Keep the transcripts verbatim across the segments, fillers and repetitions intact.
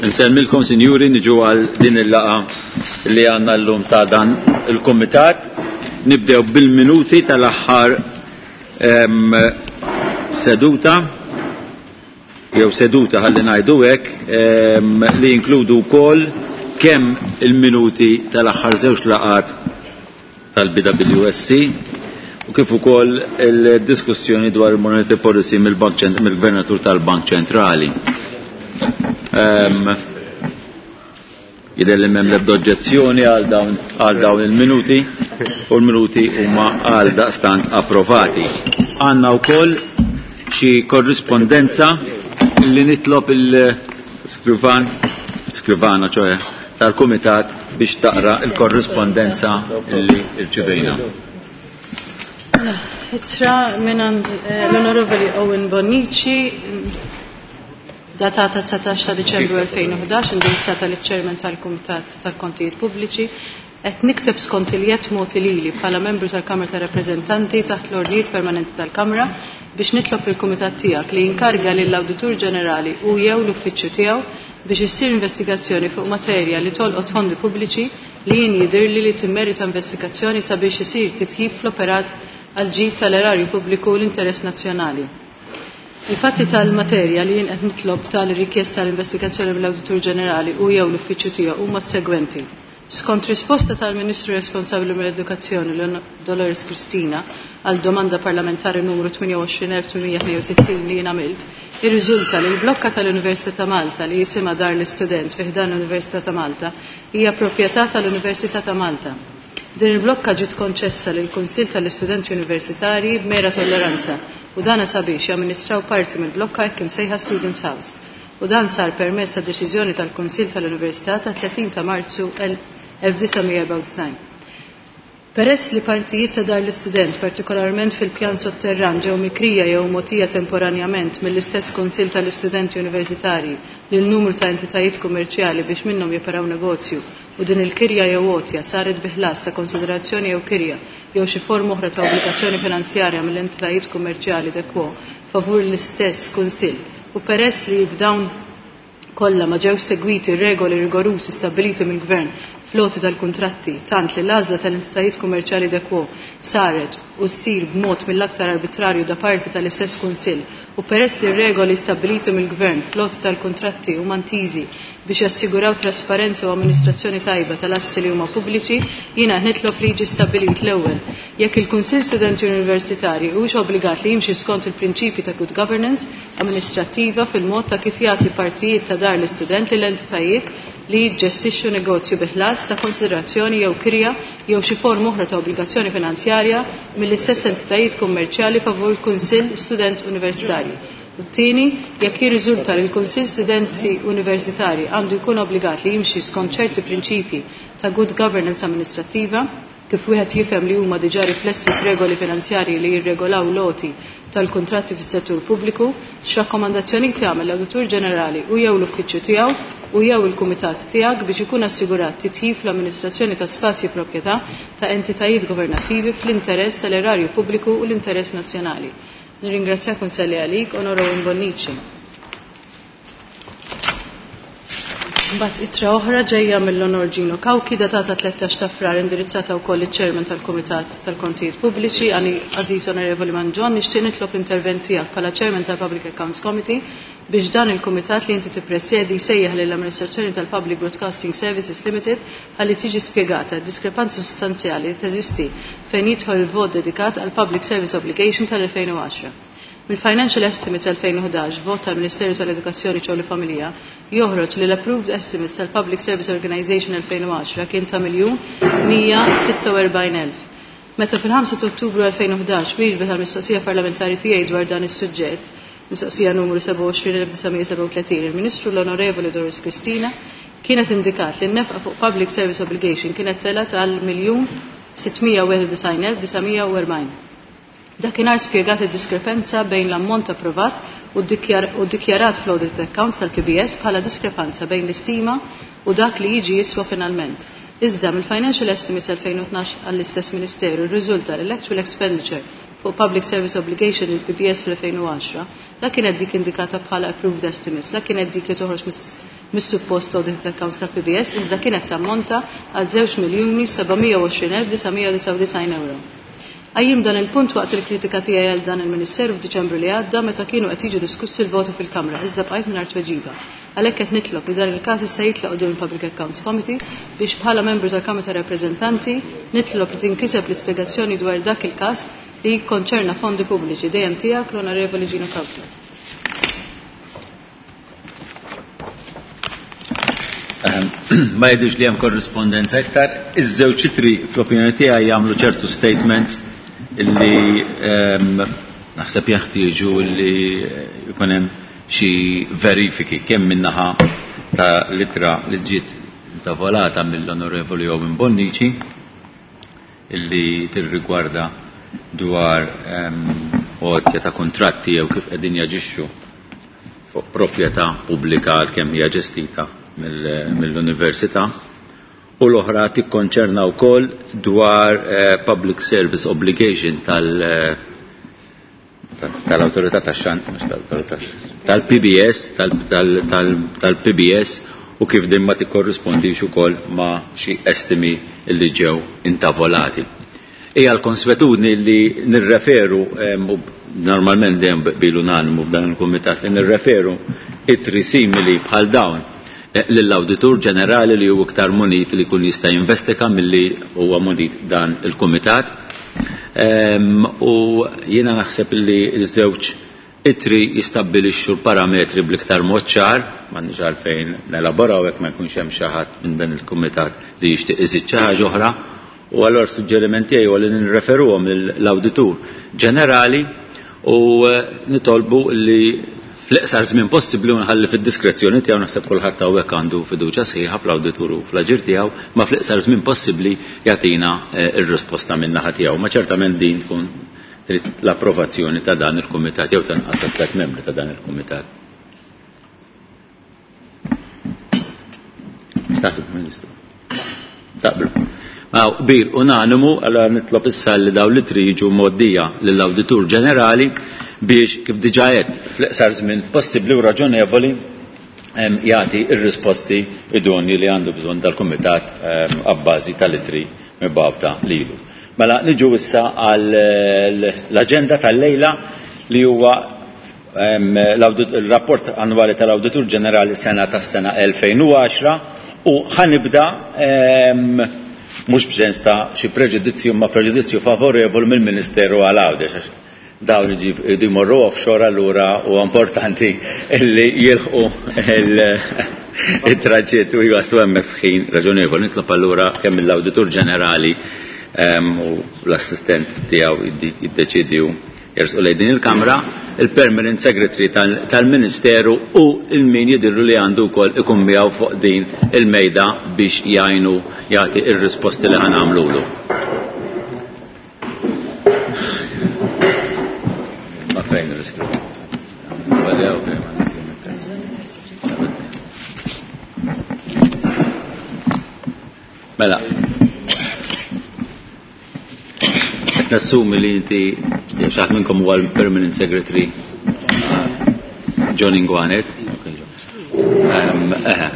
Nsellmilkom, sinjuri, niġu għal din il-laqgħa li għandna llum ta' dan il-kumitat. Nibdew bil-minuti tal-aħħar seduta, jew seduta ħalli ngħidu hekk, li jinkludu wkoll kemm il-minuti tal-aħħar żewġ laqgħat tal-B W S C u kif ukoll il-diskussjoni dwar il-monetary policy mill-Gvernatur tal-Bank Ċentrali. Um, Jidher li m'hemm l-ebda oġġezzjoni għal dawn għal dawn il-minuti u l-minuti huma għal daqstant approvati. Għandna wkoll xi korrispondenza li nitlob il-skrivan, skrivana ċoe, tal-kumitat biex taqra il-korrispondenza li rċivejna. Ittra minn eh, l-Onorevoli Owen Bonnici, datata dsatax ta' Diċembru elfejn u ħdax, indirizzata liċ-Chairman tal-Kumitat tal-Kontijiet Pubbliċi. Qed nikteb skont il-jedd mogħti lili bħala membru tal-Kamra ta' Rappreżentanti taħt l-ordnijiet permanenti tal-Kamra biex nitlob il-Kumitat tiegħek li jinkarga lill-Awditur Ġenerali u jew l-uffiċċju tiegħu biex issir investigazzjoni fuq materja li tolqot fondi pubbliċi li jien jidhirli li timmerita investigazzjoni sabiex isir titjib fl-operat għal ġid tal-erarju pubbliku u l-interess nazzjonali. Il-fatti tal-materja li jien qed nitlob tal-rikjesta tal-investigazzjoni mill-Awditur Ġenerali u jew l-uffiċċju tiegħu huma s-segwenti. Skont risposta tal-Ministru responsabbli mill-Edukazzjoni, Dolores Cristina, għal domanda parlamentari numru tmienja u għoxrin elf tmienmija tnejn u sittin li jien għamilt, irriżulta li l-blokka tal-Università ta' Malta li jisimha Dar l-Istudent fi ħdan l-Università ta' Malta hija proprjetà tal-Università ta' Malta. Din il-blokka ġiet konċessa lil Kunsill tal-Istudenti Universitarji b'mera tolleranza u dana sabiex jamministraw parti mill-blokka hekk imsejħa Student House. U dan sar permezz ta' deċiżjoni tal-Kunsill tal-Università ta' tletin ta' Marzu elf disa' mija erbgħa u disgħin. Peress li partijiet ta' Dar l-Istudent, partikolarment fil-pjan sotterran, ġew mikrija jew mogħtija temporanjament mill-istess Kunsill tal-Istudenti Universitarji lil numru ta' entitajiet kummerċjali biex minnhom joperaw negozju, u din il-kirja jew għotja saret bi ħlas ta' konsiderazzjoni jew kirja jew xi forma oħra ta' obbligazzjoni finanzjarja mill-entitajiet kummerċjali de quo favur l-istess kunsill, u peress li f'dawn kollha ma ġewx segwiti regoli rigorużi stabbiliti mill-Gvern fl-għoti tal-kuntratti, tant li l-għażla tal-entitajiet kummerċjali de quo saret u ssir b'mod mill-aktar arbitrarju da parti tal-istess kunsill, u peress li regoli stabbiliti mill-Gvern fl-għoti tal-kuntratti huma ntiżi biex jassiguraw trasparenza u amministrazzjoni tajba tal-assi li huma pubbliċi, jiena nitlob li jiġi stabbilit, l-ewwel, jekk il-Kunsill Studenti Universitari huwiex obbligat li jimxi skont il-prinċipji ta' good governance amministrattiva fil-mod ta' kif jagħti partijiet ta' Dar l-Istudent lil entitajiet li jiġġestixxu negozju bi ħlas ta' konsiderazzjoni jew kirja jew xi forma oħra ta' obbligazzjoni finanzjarja mill-istess entitajiet kummerċjali favur il-Kunsill Student Universitarji. U t-tieni, jekk jirriżulta li l-Kunsill Studenti Universitari għandu jkun obbligat li jimxi skont ċerti prinċipji ta' good governance amministrattiva, kif wieħed jifhem li huma diġà riflessi f'regoli finanzjarji li jirregolaw l-għoti tal-kontratti fis-settur pubbliku, x'rakkomandazzjoni tagħmel l-Awditur Ġenerali u jew l-uffiċċju tiegħu u jew il-kumitat tiegħek biex ikun assigurat titjib fl-amministrazzjoni ta' spazji proprjetà ta' entitajiet governattivi fl-interess tal-erarju pubbliku u l-interess nazzjonali? Nirringrazzjak u nselli għalik, Onorevoli Bonnici. Mbagħad ittra oħra ġejja mill-Onor Gino Cauchi, datata tlettax ta' Frar, indirizzata wkoll iċ-Chairman tal-Kumitat tal-Kontijiet Pubbliċi. Għani Għażiż Onorevoli Mangion, nixtieq nitlob l-intervent tiegħek bħala Chairman tal-Public Accounts Committee biex dan il-kumitat li inti tippresjedi jsejjaħ lill-amministrazzjoni tal-Public Broadcasting Services Limited ħalli tiġi spjegata diskrepanza sostanzjali li teżisti fejn jidħol il-vot dedikat għal Public Service Obligation tal-elfejn u għaxra. Mill-Financial Estimate elfejn u ħdax, vot tal-Ministeru tal-Edukazzjoni, Xogħol u Familja, joħroġ li l-Approved Estimates tal-Public Service Organization elfejn u għaxra kien ta' miljun mija sitta u erbgħin elf. Meta fil-ħamsa ta' Ottubru elfejn u ħdax wieġbet għal mistoqsija parlamentari tiegħi dwar dan is-suġġett, mistoqsija numru sebgħa u għoxrin elf disa' mija sebgħa u tletin, il-Ministru l-Onorevoli Doris Cristina kienet indikat li n-nefqa fuq Public Service Obligation kienet telgħet għal miljun sitt mija wieħed u disgħin elf disa' mija u erbgħin. Dakinhar spjegat id-diskrepanza bejn l-ammont approvat u dikjarat fl-audit accounts tal-P B S bħala diskrepanza bejn l-istima u dak li jiġi jiswa finalment. Iżda mill-Financial Estimates elfejn u tnax għall-istess Ministeru rriżulta li l-actual expenditure fuq Public Service Obligation il-P B S fl-elfejn u għaxra, la kienet dik indikata bħala approved estimates, la kienet dik li toħroġ mis-suppost audit accounts tal-P B S, iżda kienet tammonta għal żewġ miljuni seba' mija u għoxrin elf disa' mija u disgħa u disgħin euro. Qajjim dan il-punt waqt il-kritika tiegħi għal dan il-Ministeru f'Diċembru li għadda meta kienu qed jiġu diskussi l-voti fil-Kamra, iżda bqajt mingħajr tweġiba. Għalhekk qed nitlob li dan il-każ issa jitlaq quddiem il-Public Accounts Committee biex bħala membru tal-Kamra ta' Rappreżentanti nitlob li tinkiseb l-ispjegazzjoni dwar dak il-każ li jikkonċerna fondi pubbliċi. Dejjem tiegħek l-Onorevoli Gino Cauchi. Ehm, ma jidhirx li hemm korrispondenza iktar. Iż-żewġ ċifri fl-opinjoni tiegħi jagħmlu ċertu statements illi, ehm, naħseb jeħtieġu li jkun hemm xi verifiki kemm min-naħa ta' litra li ġiet intavolata mill-Onorevoli Owen Bonnici illi tirrigwarda dwar, ehm, għotja ta' kontratti jew kif qegħdin jaġixxu fuq proprjetà pubblika għalkemm hija ġestita mill-, mill-università, u l-oħra tikkonċerna wkoll dwar, eh, public service obligation tal-, eh, tal-autorità tax-xan, mhux tal-autorità, tal-P B S, tal-, tal-, tal-, tal-P B S, u kif din ma tikkorrispondix ukoll ma' xi estimi li ġew intavolati. Hija l-konswetudni li nirreferu, ehm, u normalment dejjem bil unanimu f'dan il-kumitat, li nirreferu ittri simili bħal dawn, eh, lill-Awditur Ġenerali li hu iktar munit li jkun jista' jinvestiga milli huwa munit dan il-kumitat. Ehm, u jiena naħseb li ż-żewġ ittri jistabbilixxu l-parametri bl-iktar mod ċar, m'għandniex għalfejn nelaboraw hekk ma jkunx hemm xi ħadd minn dan il-kumitat li jixtieq iżid xi ħaġa oħra. U allura suġġeriment tiegħi huwa li nirreferuhom lill-Awditur Ġenerali u, eh, nitolbu li fl-iqsar żmien possibbli u nħalli fid-diskrezzjoni tiegħu, naħseb kulħadd hawnhekk għandu fiduċja sħiħa fl-awditur u fl-aġir tiegħu, ma fl-iqsar żmien possibbli jagħtina, eh, r-risposta min-naħa tiegħu. Ma ċertament din tkun trid l-approvazzjoni ta' dan il-kumitat jew tanqas ta' tliet membri ta' dan il-kumitat. X'taħseb, Ministru? Taqblu. Ma bir unanimu, allora nitlob issa li dawn li triġu mgħoddija lill-Awditur Ġenerali biex kif diġà għedt fl-iqsar żmien possibbli u raġonevoli, em, jagħti r-risposti idonji li għandu bżonn tal-Kumitat, em, abbażi tal-ittri mibgħuta lilu. Mela niġu issa għall-aġenda tal-lejla li huwa, em, l-audit-, il-rapport annwali tal-Awditur Ġenerali sena tas-sena elfejn u għaxra, u ħanibda, em, mhux b'sens ta' xi preġudizzju ma' preġudizzju favorevol mill-Ministeru għal Għawdex, għax dawn iġi jmorru offshore, allura huwa importanti li jilħqu il-, il-traġitt u jwaslu hemmhekk f'ħin raġonevoli. Nitlob allura kemm mill-Awditur Ġenerali, em, u l-assistent tiegħu jiddeċidju jersqu lejn din il-Kamra, il-Permanent Secretary tal-, tal-Ministeru u il-min jidhirlu li għandu wkoll ikun miegħu fuq din il-mejda biex jgħinu jagħti r-risposti li ħanamlulu. Ma fejn ir-riskju? Mela, qed nassumi li inti jew xi ħadd minnkom huwa l-Permanent Secretary John Inguanet. Ehm, eħe.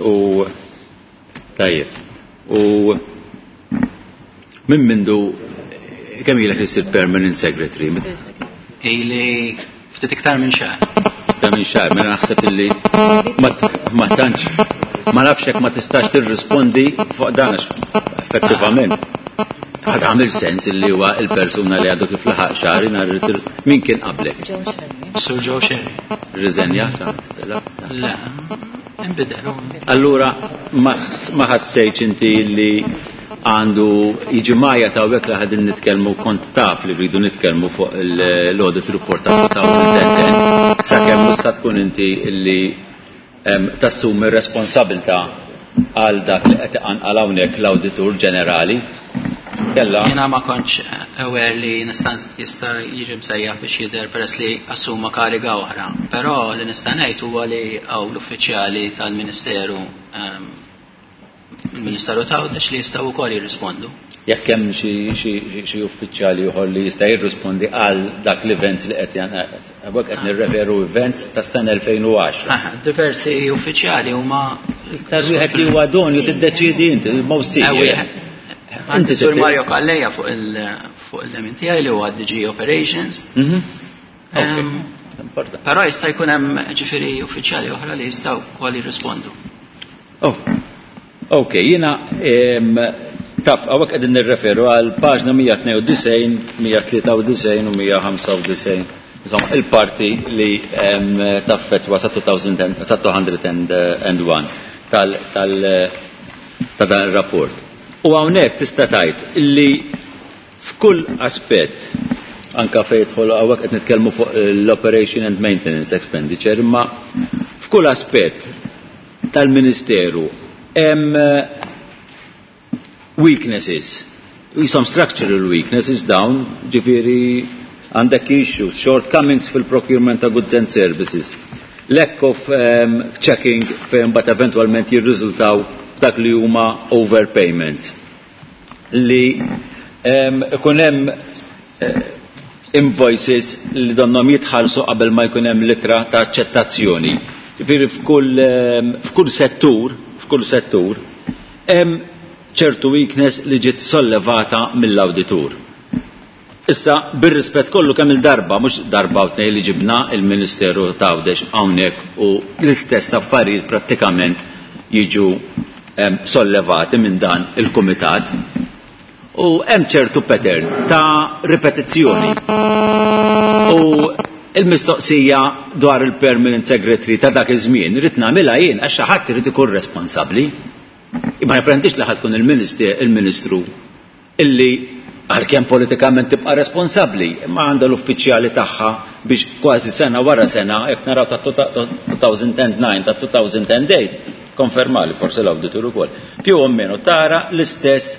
U tajjeb. U minn mindu kemm ilek li ssir Permanent Secretary? Ili ftit iktar minn xahar. Iktar minn xahar, mela naħseb illi ma t-, ma tantx, ma nafx jekk ma tistax tirrispondi fuq dan għax effettivament ħad għamil sens illi huwa il-persuna li għadu kif laħaq xahar nhar il-, min kien qablek? Sur Joe Scerri. Riżenja, sa' stella? Le, inbidel. Allura ma ħs-, ma ħassejtx inti li għandu jiġi majja ta' hawnhekk li ħadin nitkellmu, kont taf li rridu nitkellmu fuq il-, l-audit report ta' two thousand and ten, sakemm mhux sa tkun inti li, em, tassumi r-responsabilità għal dak li qed iqanqal hawnhekk l-Awditur Ġenerali. Kella. Jiena ma kontx aware li nista' jista' jiġi msejjaħ biex jidher peress li assuma kariga oħra. Però li nista' ngħid huwa li hawn l-uffiċjali tal-Ministeru, ehm, il-Ministeru ta' Għawdex li jistgħu wkoll jirrispondu. Jekk hemm xi uffiċjali ieħor li jista' jirrispondi għal dak l-events li qed hawnhekk qed nirreferu events tas-sena elfejn u għaxra. Diversi uffiċjali huma iktar wieħed li huwa donju tiddeċiedi inti, il-most senior. Inti Sur Mario Calleja fuq il-lemin tiegħi li huwa D G Operations. Però jista' jkun hemm ġifieri uffiċjali oħra li jistgħu wkoll jirrispondu. Ok, jiena taf, hawnhekk qegħdin nirreferu għal paġna mija tnejn u disgħin, mija tlieta u disgħin u mija ħamsa u disgħin. Insomma, il-parti li taffetwa sa two hundred and one tal, tal, ta' dan ir-rapport. U hawnhekk tista' tgħid li f'kull aspett, anka fejn jidħol hawnhekk qed nitkellmu fuq l-operation and maintenance expenditure, imma f'kull aspett tal-Ministeru hemm weaknesses, some structural weaknesses dawn, ġifieri għandek issues, shortcomings fil-procurement ta' goods and services, lack of um, checking fejn bat eventualment jirriżultaw dak li huma overpayments. Li um, ikun hemm uh, invoices li donhom jitħallsu qabel ma jkun hemm litra ta' aċċettazzjoni. Ġifieri f'kull, um, f'kull settur, f'kull settur hemm ċertu weakness li ġiet sollevata mill-awditur. Issa, bir-rispett kollu kemm il-darba, mhux darba u tnejn li ġibna il-Ministeru ta' Għawdex hawnhekk u l-istess affarijiet prattikament jiġu sollevati minn dan il-kumitat. U hemm ċertu pattern ta' ripetizzjoni. U il-mistoqsija dwar il-permanent secretary ta' dak iż-żmien irid nagħmilha jien għax xi ħadd irid ikun responsabbli. Imma nipprendix li ħadd tkun il-ministru illi għalkemm politikament tibqa' responsabbli, imma għandha l-uffiċjali tagħha biex kważi sena wara sena, jekk naraw ta' two thousand and nine, ta' two thousand and eight, konfermali forsi l-awditur ukoll, più o meno tara l-istess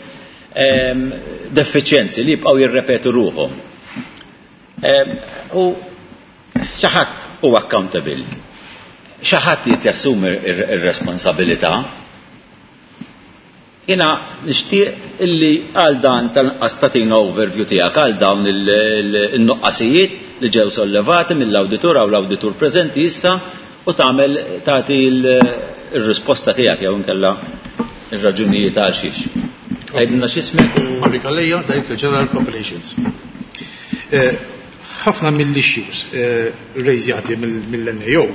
ehm, defiċjenzi li jibqgħu jirrepetu ruħhom. Ehm, u xi ħadd huwa accountable, xi ħadd jrid jassumi r-responsabilità. Jiena nixtieq illi għal dan tal-inqas tagħtina overview tiegħek għal dawn il-nuqqasijiet li ġew sollevati mill-awditur għaw l-awditur preżenti issa u tagħmel tagħti il-risposta tiegħek jew inkella ir-raġunijiet għal xiex. Għidilna x'ismek u Mario Calleja, Director General Operations. Ħafna mill-issues rejżjati mill-N A O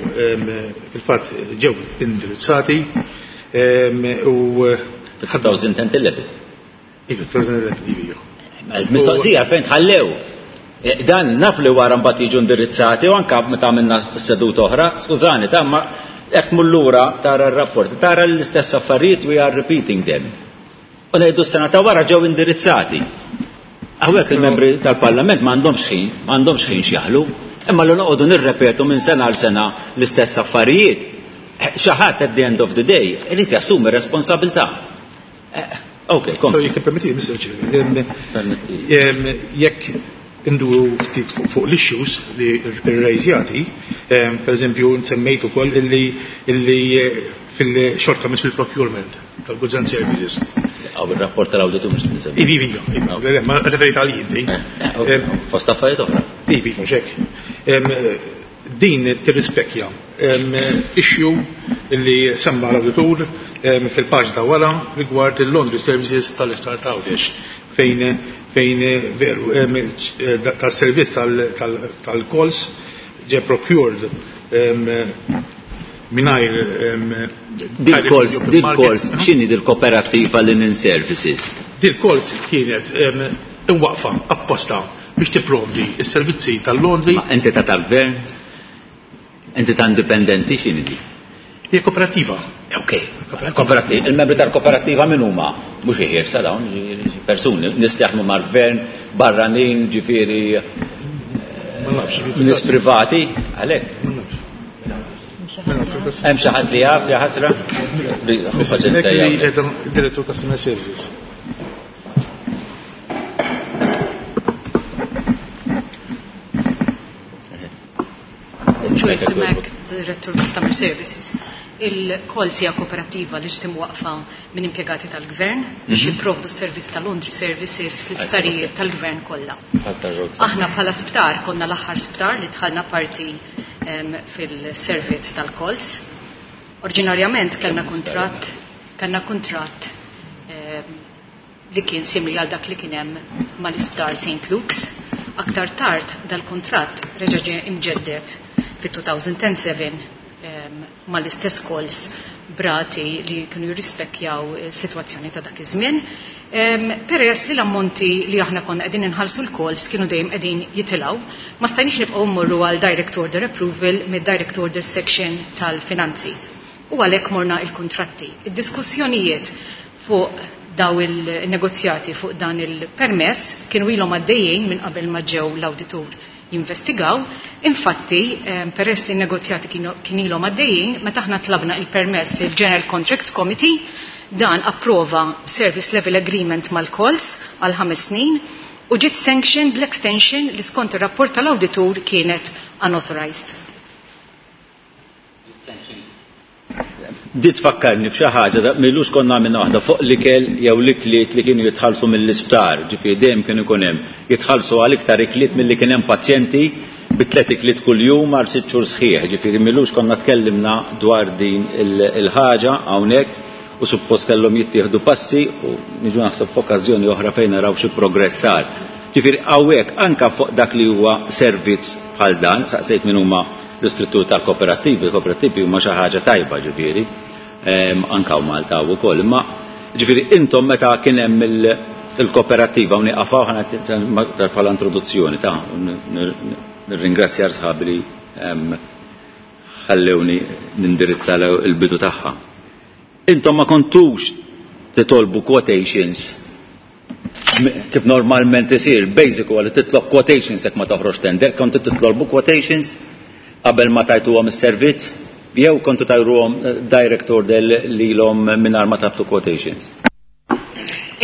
fil-fatt ġew indirizzati u two thousand and eleven. Iva, two thousand and eleven, iva, iva. Mistoqsija fejn tħallew. Dan naf li wara mbagħad jiġu indirizzati u anke meta għamilna seduta oħra, skużani, ta' ma jekk tmur lura tara r-rapport, tara l-istess affarijiet we are repeating them. U ngħidu s-sena ta' wara ġew indirizzati. Hawnhekk il-membri tal-Parlament m'għandhomx ħin, m'għandhomx ħin x'jaħlu, imma li noqogħdu nirrepetu minn sena għal sena l-istess affarijiet. Xi ħadd at the end of the day irid jassumi responsabilità. Ok, kom. Jekk tippermetti, Mister Chair, Permetti. jekk induru ftit fuq l-issues li rrejżjati, per eżempju, nsemmejt ukoll illi, illi fil-shortcomings fil-procurement tal-goods and services. Għaw il-rapport tal-awditur mhux tinsemmi. Ivi, ivi, ivi, le, le, ma referit għal inti. Eh, ok, fost affarijiet oħra. Ivi, mhux hekk. Din tirrispekja issue li semma l-awditur fil-paġna ta' wara rigward il-laundry services tal-Isptar ta' Għawdex fejn, fejn veru tas-servizz tal-calls ġe procured mingħajr Dil-calls, dil-calls, x'inhi dil-kooperattiva Linen Services? Dil-calls kienet imwaqfa apposta biex tipprovdi s-servizzi tal-laundry. Ma entità tal-gvern? Entità indipendenti x'inhi di? Hija kooperativa. Ok, kooperativa. Il-membri tal-kooperativa min huma? Mhux iħirsa dawn, ġifieri persuni, nies li jaħdmu mal-gvern, barranin, ġifieri, Ma nafx, nies privati, għalhekk. Ma nafx. Hemm xi ħadd li jaf, ja ħasra? Direttur Customer Services. Joyce Mac, Director Customer Services. Il-Kols hija kooperativa li ġiet imwaqqfa minn impjegati tal-gvern biex Mhm. jipprovdu s-servizz tal-laundry services fl-isptarijiet tal-gvern kollha. Aħna Aħna bħala sptar konna l-aħħar sptar li dħalna parti em, fil-servizz tal-Kols. Oriġinarjament kellna kuntratt kellna kuntratt em, li kien simili għal dak li kien hemm mal-isptar Saint Luke's. Aktar tard dal-kuntratt reġa' ġie imġeddet fit-two thousand seven em, mal-istess Kols b'rati li kienu jirrispekkjaw is-sitwazzjoni ta' dak iż-żmien. Em, Peress li l-ammonti li aħna konna qegħdin inħallsu l-Kols kienu dejjem qegħdin jitilgħu, ma stajniex nibqgħu mmorru għal direct order approval mid-direct order section tal-finanzi. U għalhekk morna il-kontratti. Id-diskussjonijiet fuq daw il-negozjati fuq dan il-permess kienu ilhom għaddejjin minn qabel ma ġew l-awditur jinvestigaw. Infatti, eh, peress li n-negozjati kienu kien ilhom għaddejjin, meta aħna tlabna il-permess lil General Contracts Committee, dan approva Service Level Agreement mal-Kols għal ħames snin u ġiet sanction bl-extension li skont ir-rapport tal-awditur kienet unauthorized. Di tfakkarni f'xi ħaġa da m'ilux konna minn waħda fuq l-ikel jew l-ikliet li kienu jitħallsu mill-isptar, ġifieri dejjem kienu ikun hemm jitħallsu għal iktar ikliet milli kien hemm pazjenti bi tliet ikliet kuljum għal sitt xhur sħiħ. Ġifieri m'ilux konna tkellimna dwar din il-ħaġa hawnhekk u suppost kellhom jittieħdu passi u niġu naħseb f'okkażjoni oħra fejn naraw xi progress sar. Ġifieri hawnhekk anke fuq dak li huwa servizz bħal dan, saqsejt min huma l-istruttur tal-kooperattivi, il-kooperattivi huma xi ħaġa tajba ġifieri, anka u Malta wkoll, imma ġifieri intom meta kien hemm il-kooperattiva u nieqafaw ħana bħala introduzzjoni ta' nirringrazzja sħabi li ħallewni nindirizza il-bidu tagħha. Intom ma kontux titolbu quotations kif normalment isir, basic huwa li titlob quotations jekk ma toħroġ tender, kontu titolbu quotations qabel ma tajtuhom is-servizz jew kontu tajruhom direct order lilhom mingħajr ma tlabtu quotations?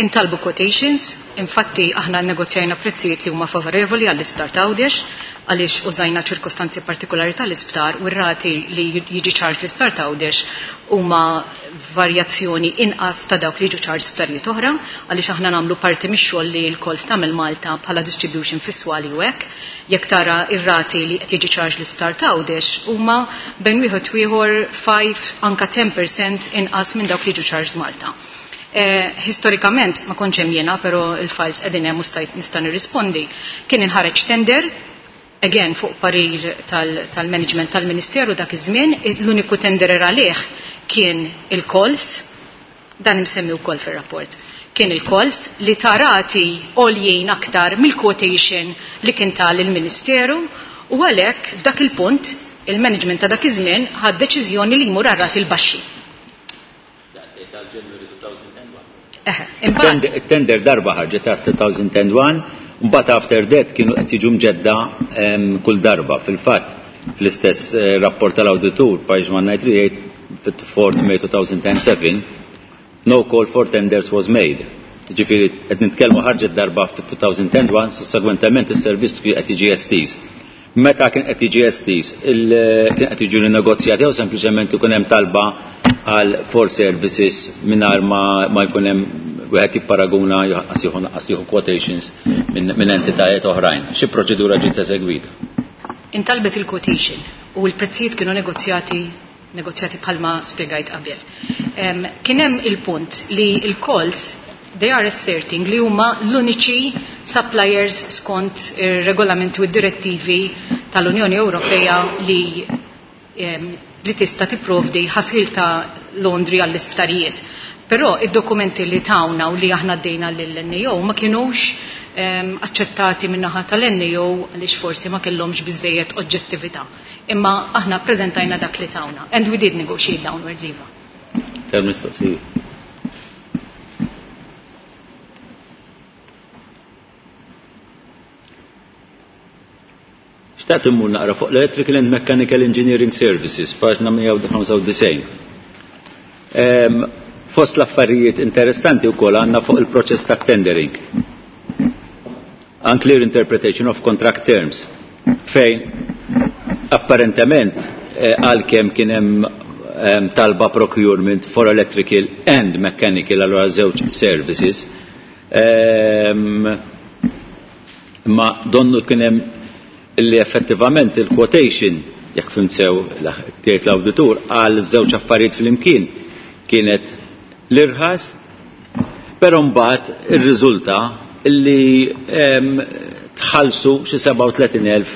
Intalbu quotations, infatti aħna negozjajna prezzijiet li huma favorevoli għall-isptar t'Għawdex, għaliex użajna ċirkostanzi partikolari tal-isptar u r-rati li jiġi charge l-isptar t'Għawdex huma varjazzjoni inqas ta' dawk li jiġu charge sptarijiet oħra, għaliex aħna nagħmlu parti mix-xogħol li l-Kols tagħmel Malta bħala distribution fis-swali u hekk. Jekk tara ir-rati li qed jiġi charge l-isptar t'Għawdex huma bejn wieħed u ieħor ħamsa anka għaxra fil-mija inqas minn dawk li jiġu charged Malta. Eh, historikament, ma kontx hemm jiena, però il-files qegħdin hemm u stajt nista' nirrispondi. Kien inħareġ tender, again fuq parir tal-management tal tal-Ministeru dak iż-żmien, l-uniku tender għalih kien il-Kols, dan imsemmi wkoll fir-rapport. Kien il-Kols li ta rati għoljien aktar mill-quotation li kien tal il-Ministeru u għalhekk f'dak il-punt il-management ta' dak iż-żmien ħad deċiżjoni li jmur għar-rati l-baxxi. Eħe, imbagħad Tender darba ħarġet ta' elfejn u wieħed, mbagħad after that kienu qed jiġu mġedda kull darba. Fil-fatt, fl-istess eh, rapport tal-awditur, page one nine three eight, fit-fourth May two thousand seven, no call for tenders was made. Ġifieri qed nitkellmu ħarġet darba fit-elfejn u wieħed, sussegwentement is-servizz kien qed jiġi estiż. Meta kien qed jiġi estiż, kien qed jiġu negozjati jew sempliċement ikun hemm talba għal for services mingħajr ma, ma jkun hemm wieħed jipparaguna qas jieħu qas jieħu quotations minn min entitajiet oħrajn? Xi proċedura ġiet esegwita? Intalbet il-quotation u l-prezzijiet kienu negozjati negozjati bħalma spiegajt qabel. Um, kien hemm il-punt li il-Kols, they are asserting li huma l-uniċi suppliers skont ir-regolamenti u d-direttivi tal-Unjoni Ewropea li um, li tista' tipprovdi ħasil ta' laundry għall-isptarijiet. Però id-dokumenti li tawna u li aħna ddejna lill-N A O ma kienux um, aċċettati min-naħa tal-N A O għaliex forsi ma kellhomx biżejjed oġġettività. Imma aħna preżentajna dak li tawna. And we did negotiate downwards, iva. Ter mistoqsijiet. Xtaqt immur naqra fuq l-Electrical and Mechanical Engineering Services, paġna mija ħamsa u disgħin. Um, fost l-affarijiet interessanti wkoll għandna fuq il-proċess ta' tendering. Unclear interpretation of contract terms, fejn apparentement eh, għalkemm kien hemm um, talba procurement for electrical and mechanical, allora żewġ services. Um, ma donnu kien hemm li effettivament il-quotation, jekk fhimt sew tgħid l-awditur, għal żewġ affarijiet flimkien kienet l-irħas, però mbagħad irriżulta li um, tħallsu xi sebgħa u tletin elf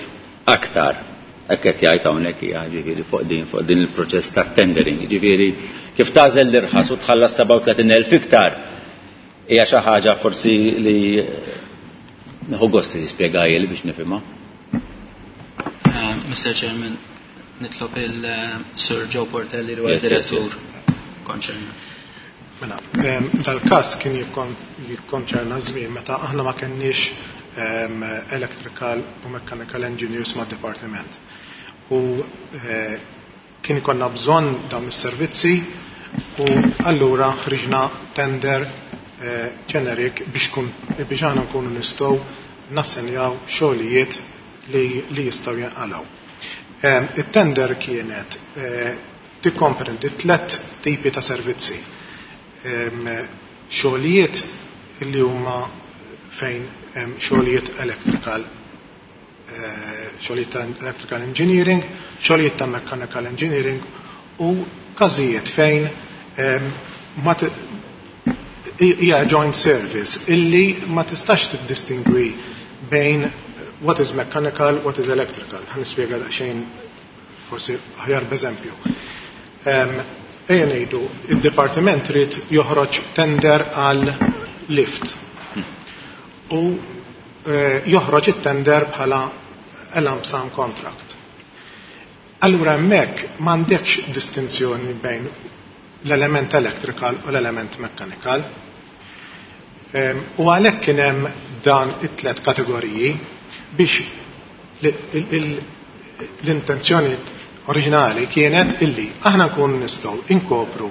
aktar. Hekk qed jgħid hawnhekk hija, ġifieri fuq din fuq din il-proċess ta' tendering. Ġifieri kif tagħżel l-irħas u tħallas sebgħa u tletin elf iktar, hija xi ħaġa forsi li nieħu gost tispjegajli biex nifhimha. Uh, Mister Chairman, nitlob il-Sir Joe Portelli li huwa direttur konċernat. Mela, dal-każ kien jikkonċerna żmien meta aħna ma kenniex electrical u mechanical engineers ma' departiment. U eh, kien ikollna bżonn dawn is-servizzi u allura ħriġna tender eh, generic biex kun biex aħna nkunu nistgħu nassenjaw xogħlijiet li, li jistgħu jinqalgħu. It-tender kienet eh, tikkomprendi tlet tipi ta' servizzi. Xogħlijiet li huma fejn xogħlijiet electrical, eh, xogħlijiet ta' electrical engineering, xogħlijiet ta' mechanical engineering u każijiet fejn ma hija joint service illi ma tistax tiddistingwi bejn what is mechanical, what is electrical. Ħa nispjega daqsxejn forsi aħjar b'eżempju. Ejja ngħidu, id-dipartiment trid joħroġ tender għal lift. U eh, joħroġ it-tender bħala a lump sum contract. Allura hemmhekk m'għandekx distinzjoni bejn l-element electrical u l-element mechanical. U għalhekk kien hemm dan it-tlet kategoriji biex l-intenzjoni oriġinali kienet illi aħna nkunu nistgħu inkopru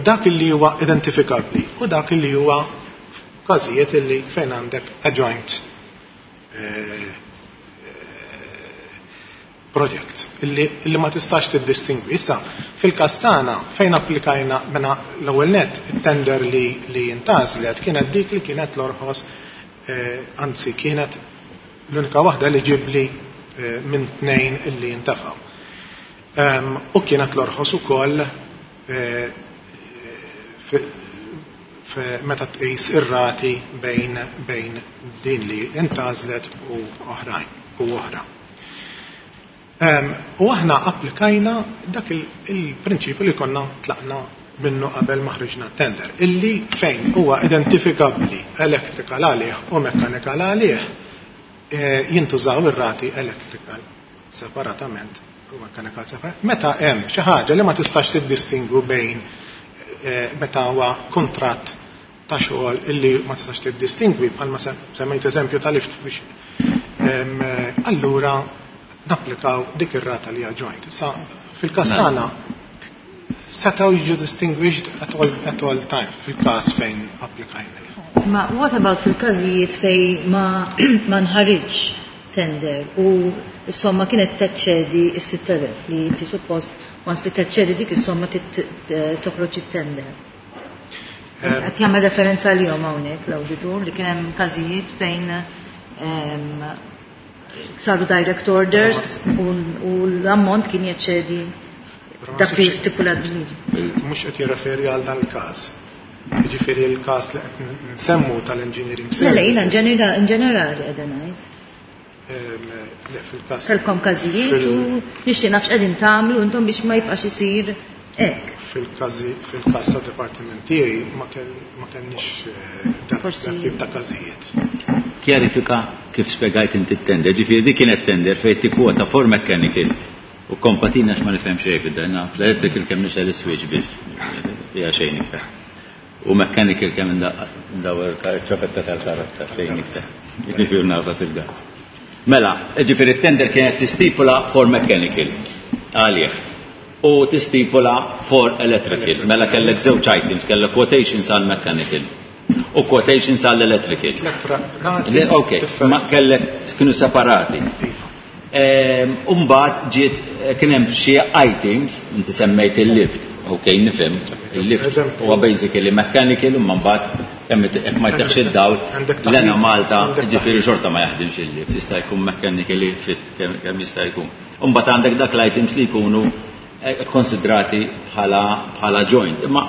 dak illi huwa identifikabbli u dak illi huwa każijiet illi fejn għandek a joint eh, project illi, illi ma tistax tiddistingwi. Issa, fil-każ tagħna fejn applikajna mena l-ewwel net it-tender li, li intgħażlet kienet dik li kienet l-orħos, eh, anzi kienet l-unika waħda li ġibli eh, minn tnejn illi intefgħu. Um, u kienet l-orħos ukoll eh, meta tqis ir-rati bejn bejn din li intgħażlet u oħrajn u oħra. Um, u aħna applikajna dak il-prinċipju li konna tlaqna minnu qabel ma ħriġna tender, illi fejn huwa identifikabbli electrical għalih u mechanical għalih, eh, jintużaw ir-rati electrical separatament u mechanical separatament. Meta hemm xi ħaġa li ma tistax tiddistingwu bejn, eh, meta huwa kontratt ta' xogħol illi ma tistax tiddistingwi, bħalma semmejt eżempju ta' lift biex, allura napplikaw dik ir-rata li hija joint. Issa fil-każ mela. tagħna setgħu jiġu distinguished at all, at all time fil-każ fejn applikajna. Ma what about fil-każijiet fej ma ma nħariġ tender u s-somma kienet teċċedi s-sitt elef li inti suppost once li teċċedi dik is-somma toħroġ it-tender? Qed jagħmel referenza għalihom hawnhekk l-awditur li kien hemm każijiet fejn saru direct orders u l-ammont kien jeċċedi dak li stipulat bil-liġi. Mhux qed jirreferi għal dan il-każ. Jiġifieri l-każ li qed nsemmu tal-engineering services. Le, jiena in ġenerali qiegħda ngħid. Le, fil-każ. Kellkom każijiet u nixtieq naf x'qegħdin tagħmlu intom biex ma jibqax isir hekk. Fil-każi fil-każ ta' dipartiment tiegħi ma kellniex eh, dak tip ta' każijiet. Kjarifika kif spjegajt inti t-tender, ġifieri di kienet tender fejn tikkwota for mechanical u kompatina x'ma nifhem xejn fid-danna, fl-electrical kemm nixgħel is-switch biss, hija xejn iktar. U mechanical kemm indaqqas ndawwer ċapetta tal-karozza, xejn iktar. Ġifieri nagħfas il-gas. Mela, ġifieri t-tender kienet tistipula for mechanical għalih u tistipula for electrical. Mela kellek żewġ items, kellek quotations għal mechanical u quotations għal electrical. Ok, ma kellek kienu separati. Iva. Umbagħad ġiet kien hemm xi items, inti semmejt il-lift, ok, nifhem, il-lift huwa basically mechanical, imma mbagħad kemm jekk ma jteħx id-dawl, l-Enemalta ġifieri xorta ma jaħdimx il-lift, jista' jkun mechanically fit kemm jista' jkun. Umbagħad għandek dak l-items li jkunu konsidrati bħala bħala joint. Imma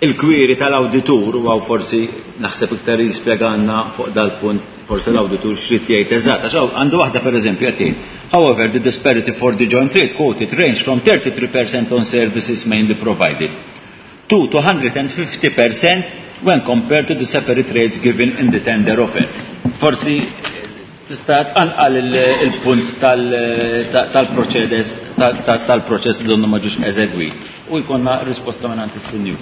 il-query tal-awditur, u għaw forsi naħseb iktar jispjegalna fuq dal-punt, forsi l-awditur x'rid jgħid eżatt, għax għandu waħda pereżempju qed jgħid: "However, the disparity for the joint rate quoted range from thirty-three percent on services mainly provided to two hundred fifty percent when compared to the separate rates given in the tender offer." Forsi tista' tqanqal il-punt tal-proċedes tal-proċess li donnu ma ġux eżegwit u jkollna risposta minn is-sinjur.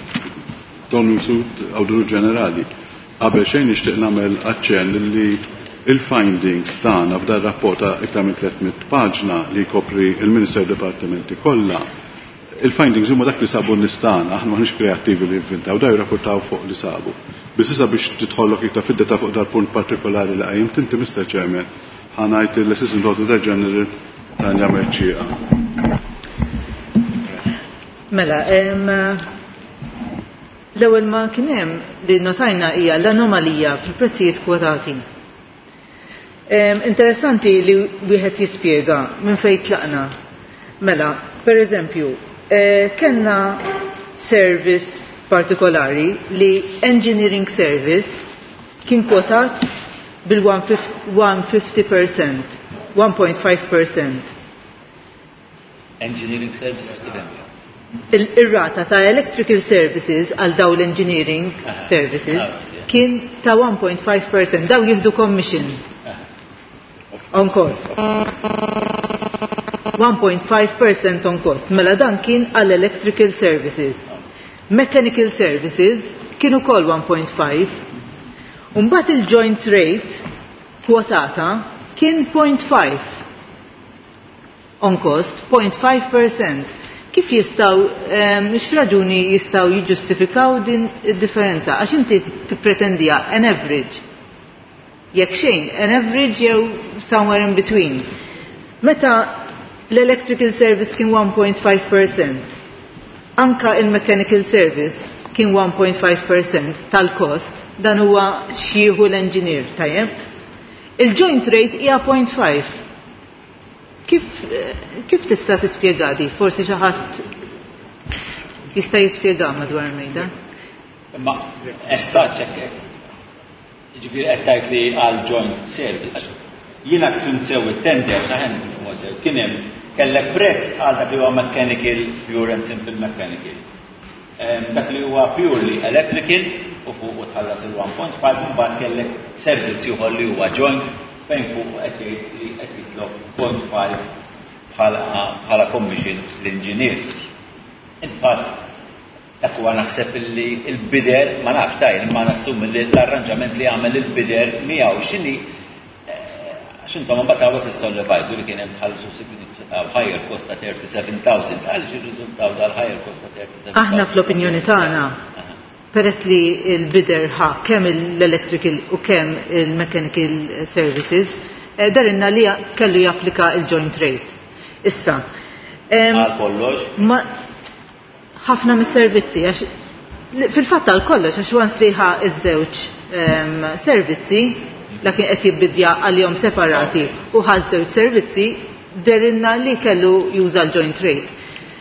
Tony Mifsud, Awditur Ġenerali. Qabel xejn nixtieq nagħmel aċċenn li il-findings tagħna f'dan rapport ta' iktar minn tliet mitt paġna li jkopri il-Minister Departimenti kollha. Il-findings huma dak li sabu n-nies tagħna, aħna maħniex kreattivi li inventaw, daw jirrapportaw fuq li sabu. Biss issa biex tidħollok iktar fid-dettall fuq dal-punt partikolari li qajjimt inti, Mister Chairman, ħa ngħid l-Assistant Auditor General Tanja Mercieca. Mela, l-ewwel ma kien hemm li notajna hija l-anomalija fil-prezzijiet kwotati. Interessanti li wieħed jispjega minn fejn tlaqna. Mela, per eżempju, eh, kellna service partikolari li engineering service kien kwotat bil-one fifty percent, one point five percent. Engineering services tifhem? Il-rata ta' electrical services għal daw l-engineering services kien ta' one point five percent, daw jieħdu commission on cost. one point five percent on cost. Mela dan kien għall electrical services. Mechanical services kienu kol one point five. Umbagħad il-joint rate kwotata kien zero point five on cost, zero point five percent. Kif jistgħu, x'raġuni jistgħu jiġġustifikaw din id-differenza? Għax inti tippretendija an average. Jekk xejn, an average jew somewhere in between. Meta l-electrical service kien one point five percent, anka il-mechanical service kien one point five percent tal-cost, dan huwa x'jieħu l-engineer, tajjeb? Il-joint rate hija zero point five. Kif, kif tista' tispjega di? Forsi xi ħadd jista' jispjega madwar mejda. Ma estaċ hekk. Ġifieri qed tgħid li għal joint service, għax jiena kif sew it-tender, saħen sew, kien hemm kellek prezz għal dak li huwa mechanical, pure and simple mechanical. Dak li huwa purely electrical u fuq u tħallas il-one point five, mbagħad kellek servizz ieħor li huwa joint fejn fuq qed jgħid li qed jitlob zero point five bħala commission l-engineer. Infatti, dak huwa naħseb li il-bidder, ma nafx tajn, ma nassum li l-arranġament li għamel il-bidder miegħu x'inhi, għax intom mbagħad hawnhekk issollevajtu li kien hemm tħallsu higher cost ta' thirty-seven thousand. Għaliex irriżultaw dal-higher cost ta' thirty-seven thousand? Aħna fl-opinjoni tagħna, peress li il-bidder ħa kemm l-electrical u kemm il-mechanical services, eh, dehrilna li kellu japplika il-joint rate. Issa. Għal kollox? Ħafna mis-servizzi, għax fil-fatt għal kollox, għax once li ħa iż-żewġ servizzi, lakin qed jibbidja għalihom separati u ħa żewġ servizzi, dehrilna li kellu juża l-joint rate.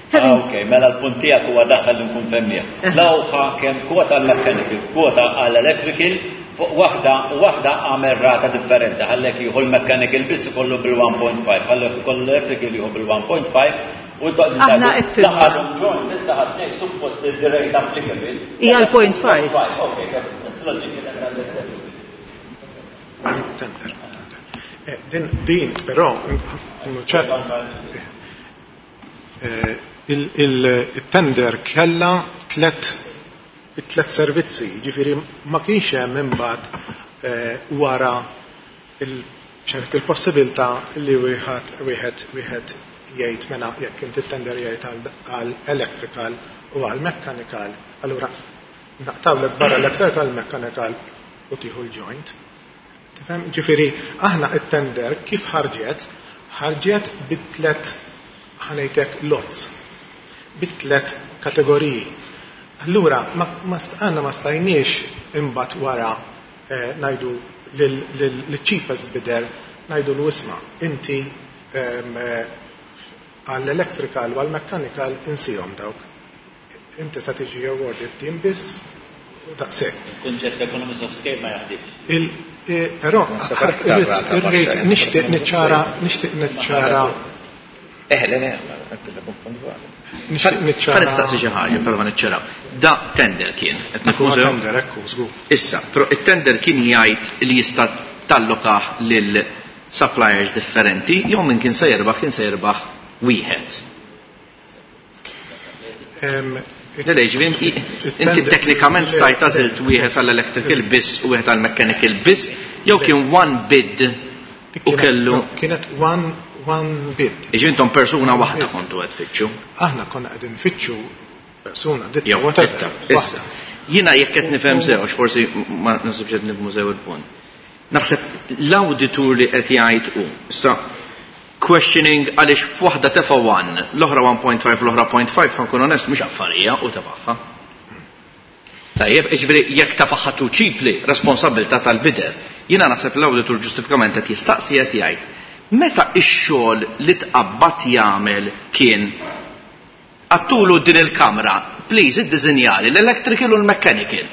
Ah, ok, mela l-punt tiegħek huwa daħal li nkun femmih. Lawħa kemm kwota għal mechanical, kwota għal electrical, fuq waħda u waħda għamel rata differenti. Ħallek jieħu l-mechanical biss ikollu bil-one point five, ħallek ikollu l-electrical jieħu bil-one point five u Aħna hekk fimna. Daħalhom joint, issa ħadnek suppost the rate applicable. Hija l-zero point five. Ok, that's that's logical and understandable. Tender. Eh, din, din, però, ċe- eh, il-tender kella tlet tlet servizzi, ġifiri ma kienx hemm imbagħad eh, wara il-possibilità li wieħed wieħed wieħed jgħid mela jekk inti tender jgħid għal electrical u għal mechanical, allura naqtawlek barra electrical, mechanical u tieħu l-joint. Tifhem? Ġifieri aħna it-tender kif ħarġet, ħarġet bit-tlet ħanejtek lots, bit-tlet kategoriji. Allura aħna ma stajniex imbagħad wara ngħidu lill-cheapest bidder ngħidu l isma' inti għall-electrical u għall-mechanical insihom dawk. Inti sa tiġi awarded team biss daqshekk. Il-kunċett economies of scale ma jaħdimx. Però irrid nixtieq niċċara nixtieq niċċara. Eh, le, le, nixtieq niċċara. Nistaqsi xi ħaġa, però ma niċċaraw. Da tender kien. Tender, ekku, żgur. Issa, però it-tender kien jgħid li jista' tallokah lil suppliers differenti, jew min kien se jirbaħ kien se jirbaħ wieħed. Le, ġifieri inti teknikament stajt għażilt wieħed għall-electrical biss u wieħed għall-mechanical biss, jew kien one bid u kellu. Kienet one one bid. Jiġifieri intom persuna waħda kontu qed tfittxu. Aħna konna qegħdin nfittxu persuna, ditta, whatever. Issa, jiena jekk qed nifhem sew, għax forsi ma nasibx qed nifhmu sew il-punt. Naħseb l-awditur li qed jgħid hu, issa questioning għaliex f'waħda tefa' one, l-oħra one point five, l-oħra point five, ħankun onest, mhux affarija u tefagħha. Tajjeb, jiġifieri jekk tefagħha too cheaply, responsabilità tal-bider. Jiena naħseb l-awditur ġustifikament qed jistaqsi qed jgħid, meta x-xogħol li tqabbad jagħmel kien għattulu din il-kamra, please iddiżinjali l-electrical u l-mechanical.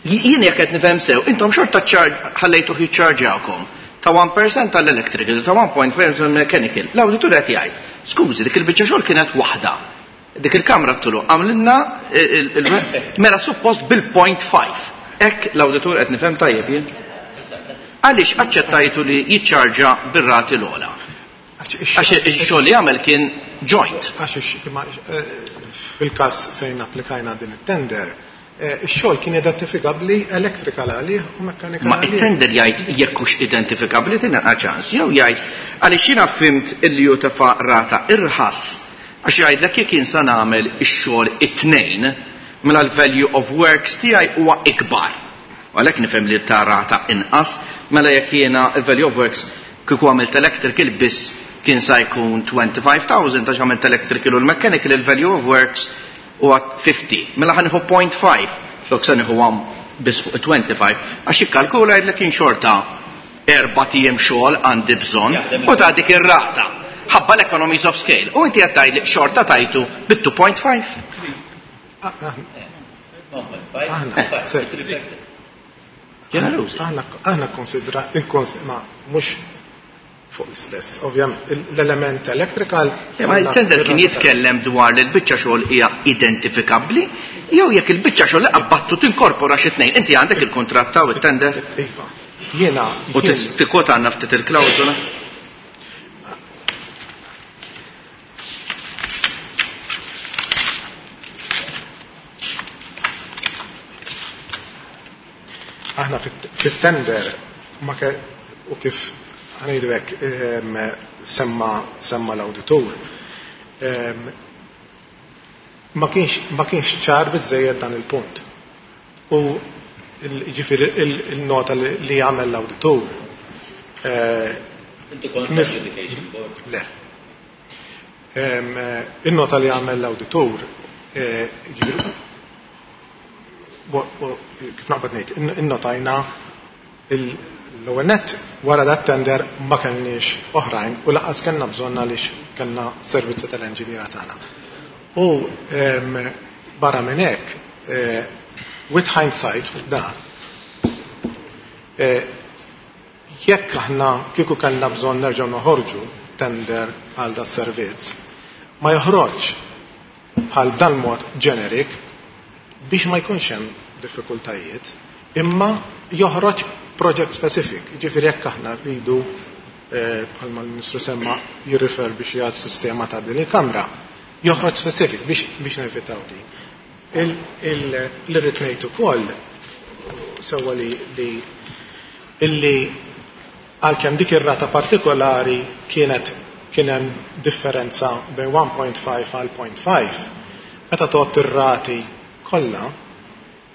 Jien jekk qed nifhem sew, intom xorta ħallejtuh jiċċarġawkom ta' one percent tal-electrical, ta' one point five percent mechanical. L-awditur qed jgħid, skużi, dik il-biċċa xogħol kienet waħda. Dik il-kamra tulu għamlilna mela suppost bil-point five. Hekk l-awditur qed nifhem tajjeb jien. Għaliex aċċettajtu li jiċċarġa bir-rati l-ogħla? Għax ix-xogħol li għamel kien joint. Għax fil-każ fejn applikajna din it-tender, ix-xogħol kien identifikabbli electrical għalih u mechanical Ma it-tender jgħid jekk hux identifikabbli tingħata ċans, jew jgħid għaliex jiena fimt illi hu tefa' rata irħas għax jgħidlek jekk jien sa nagħmel ix-xogħol it-tnejn mela l-value of works tiegħi huwa ikbar. Għalhekk nifhem li ta' rata inqas, mela jekk jiena l-value of works kieku għamilt electrical biss kien sa jkun twenty-five thousand għax għamilt electrical u l-mechanical il-value of works u għat fifty. Mela ħaniħu point five, flok sa nieħu għam biss fuq twenty-five, għax ikkalkula jgħidlek kien xorta erba' tiem xogħol għandi bżonn u ta' dik ir-rata. Ħabba l-economies of scale. U inti qed tgħidli xorta tajtu bit two point five. Ġenerużi. Aħna konsidra, ma mhux fuq l-istess, ovvjament, l-element electrical. Ma il-tender kien jitkellem dwar li l-biċċa xogħol hija identifikabbli, jew jekk il-biċċa xogħol li qabbattu tinkorpora xi tnejn. Inti għandek il-kuntratt taw it-tender? Iva. Jiena. U tikkota għandna ftit il-klawżola? Aħna fit-tender ma ke u kif ħanejdu hekk semma semma l-awditur. Ma kienx ma kienx ċar biżejjed dan il-punt. U ġifieri il-nota li għamel l-awditur. Inti kont adjudication board? Le. Il-nota li għamel l-awditur, ġifieri kif naqbad ngħid, innotajna l-ewwel nett wara dat tender ma kellniex oħrajn u laqas kellna bżonn għaliex kellna servizzi tal-enġiniera tagħna. U barra minn hekk, with hindsight fuq dan, jekk aħna kieku kellna bżonn nerġgħu noħorġu tender għal da servizz, ma joħroġ bħal dan mod generic biex ma jkunx hemm diffikultajiet, imma joħroġ project specific. Ġifieri jekk aħna rridu bħalma l-Ministru semma jirrifer biex jgħad sistema ta' din il-kamra, joħroġ specific biex, biex nevitaw din. L-irrid ngħid ukoll sewwa li, li illi għalkemm dik ir-rata partikolari kienet kien hemm differenza bejn one point five għal point five, meta tgħodd ir-rati kollha,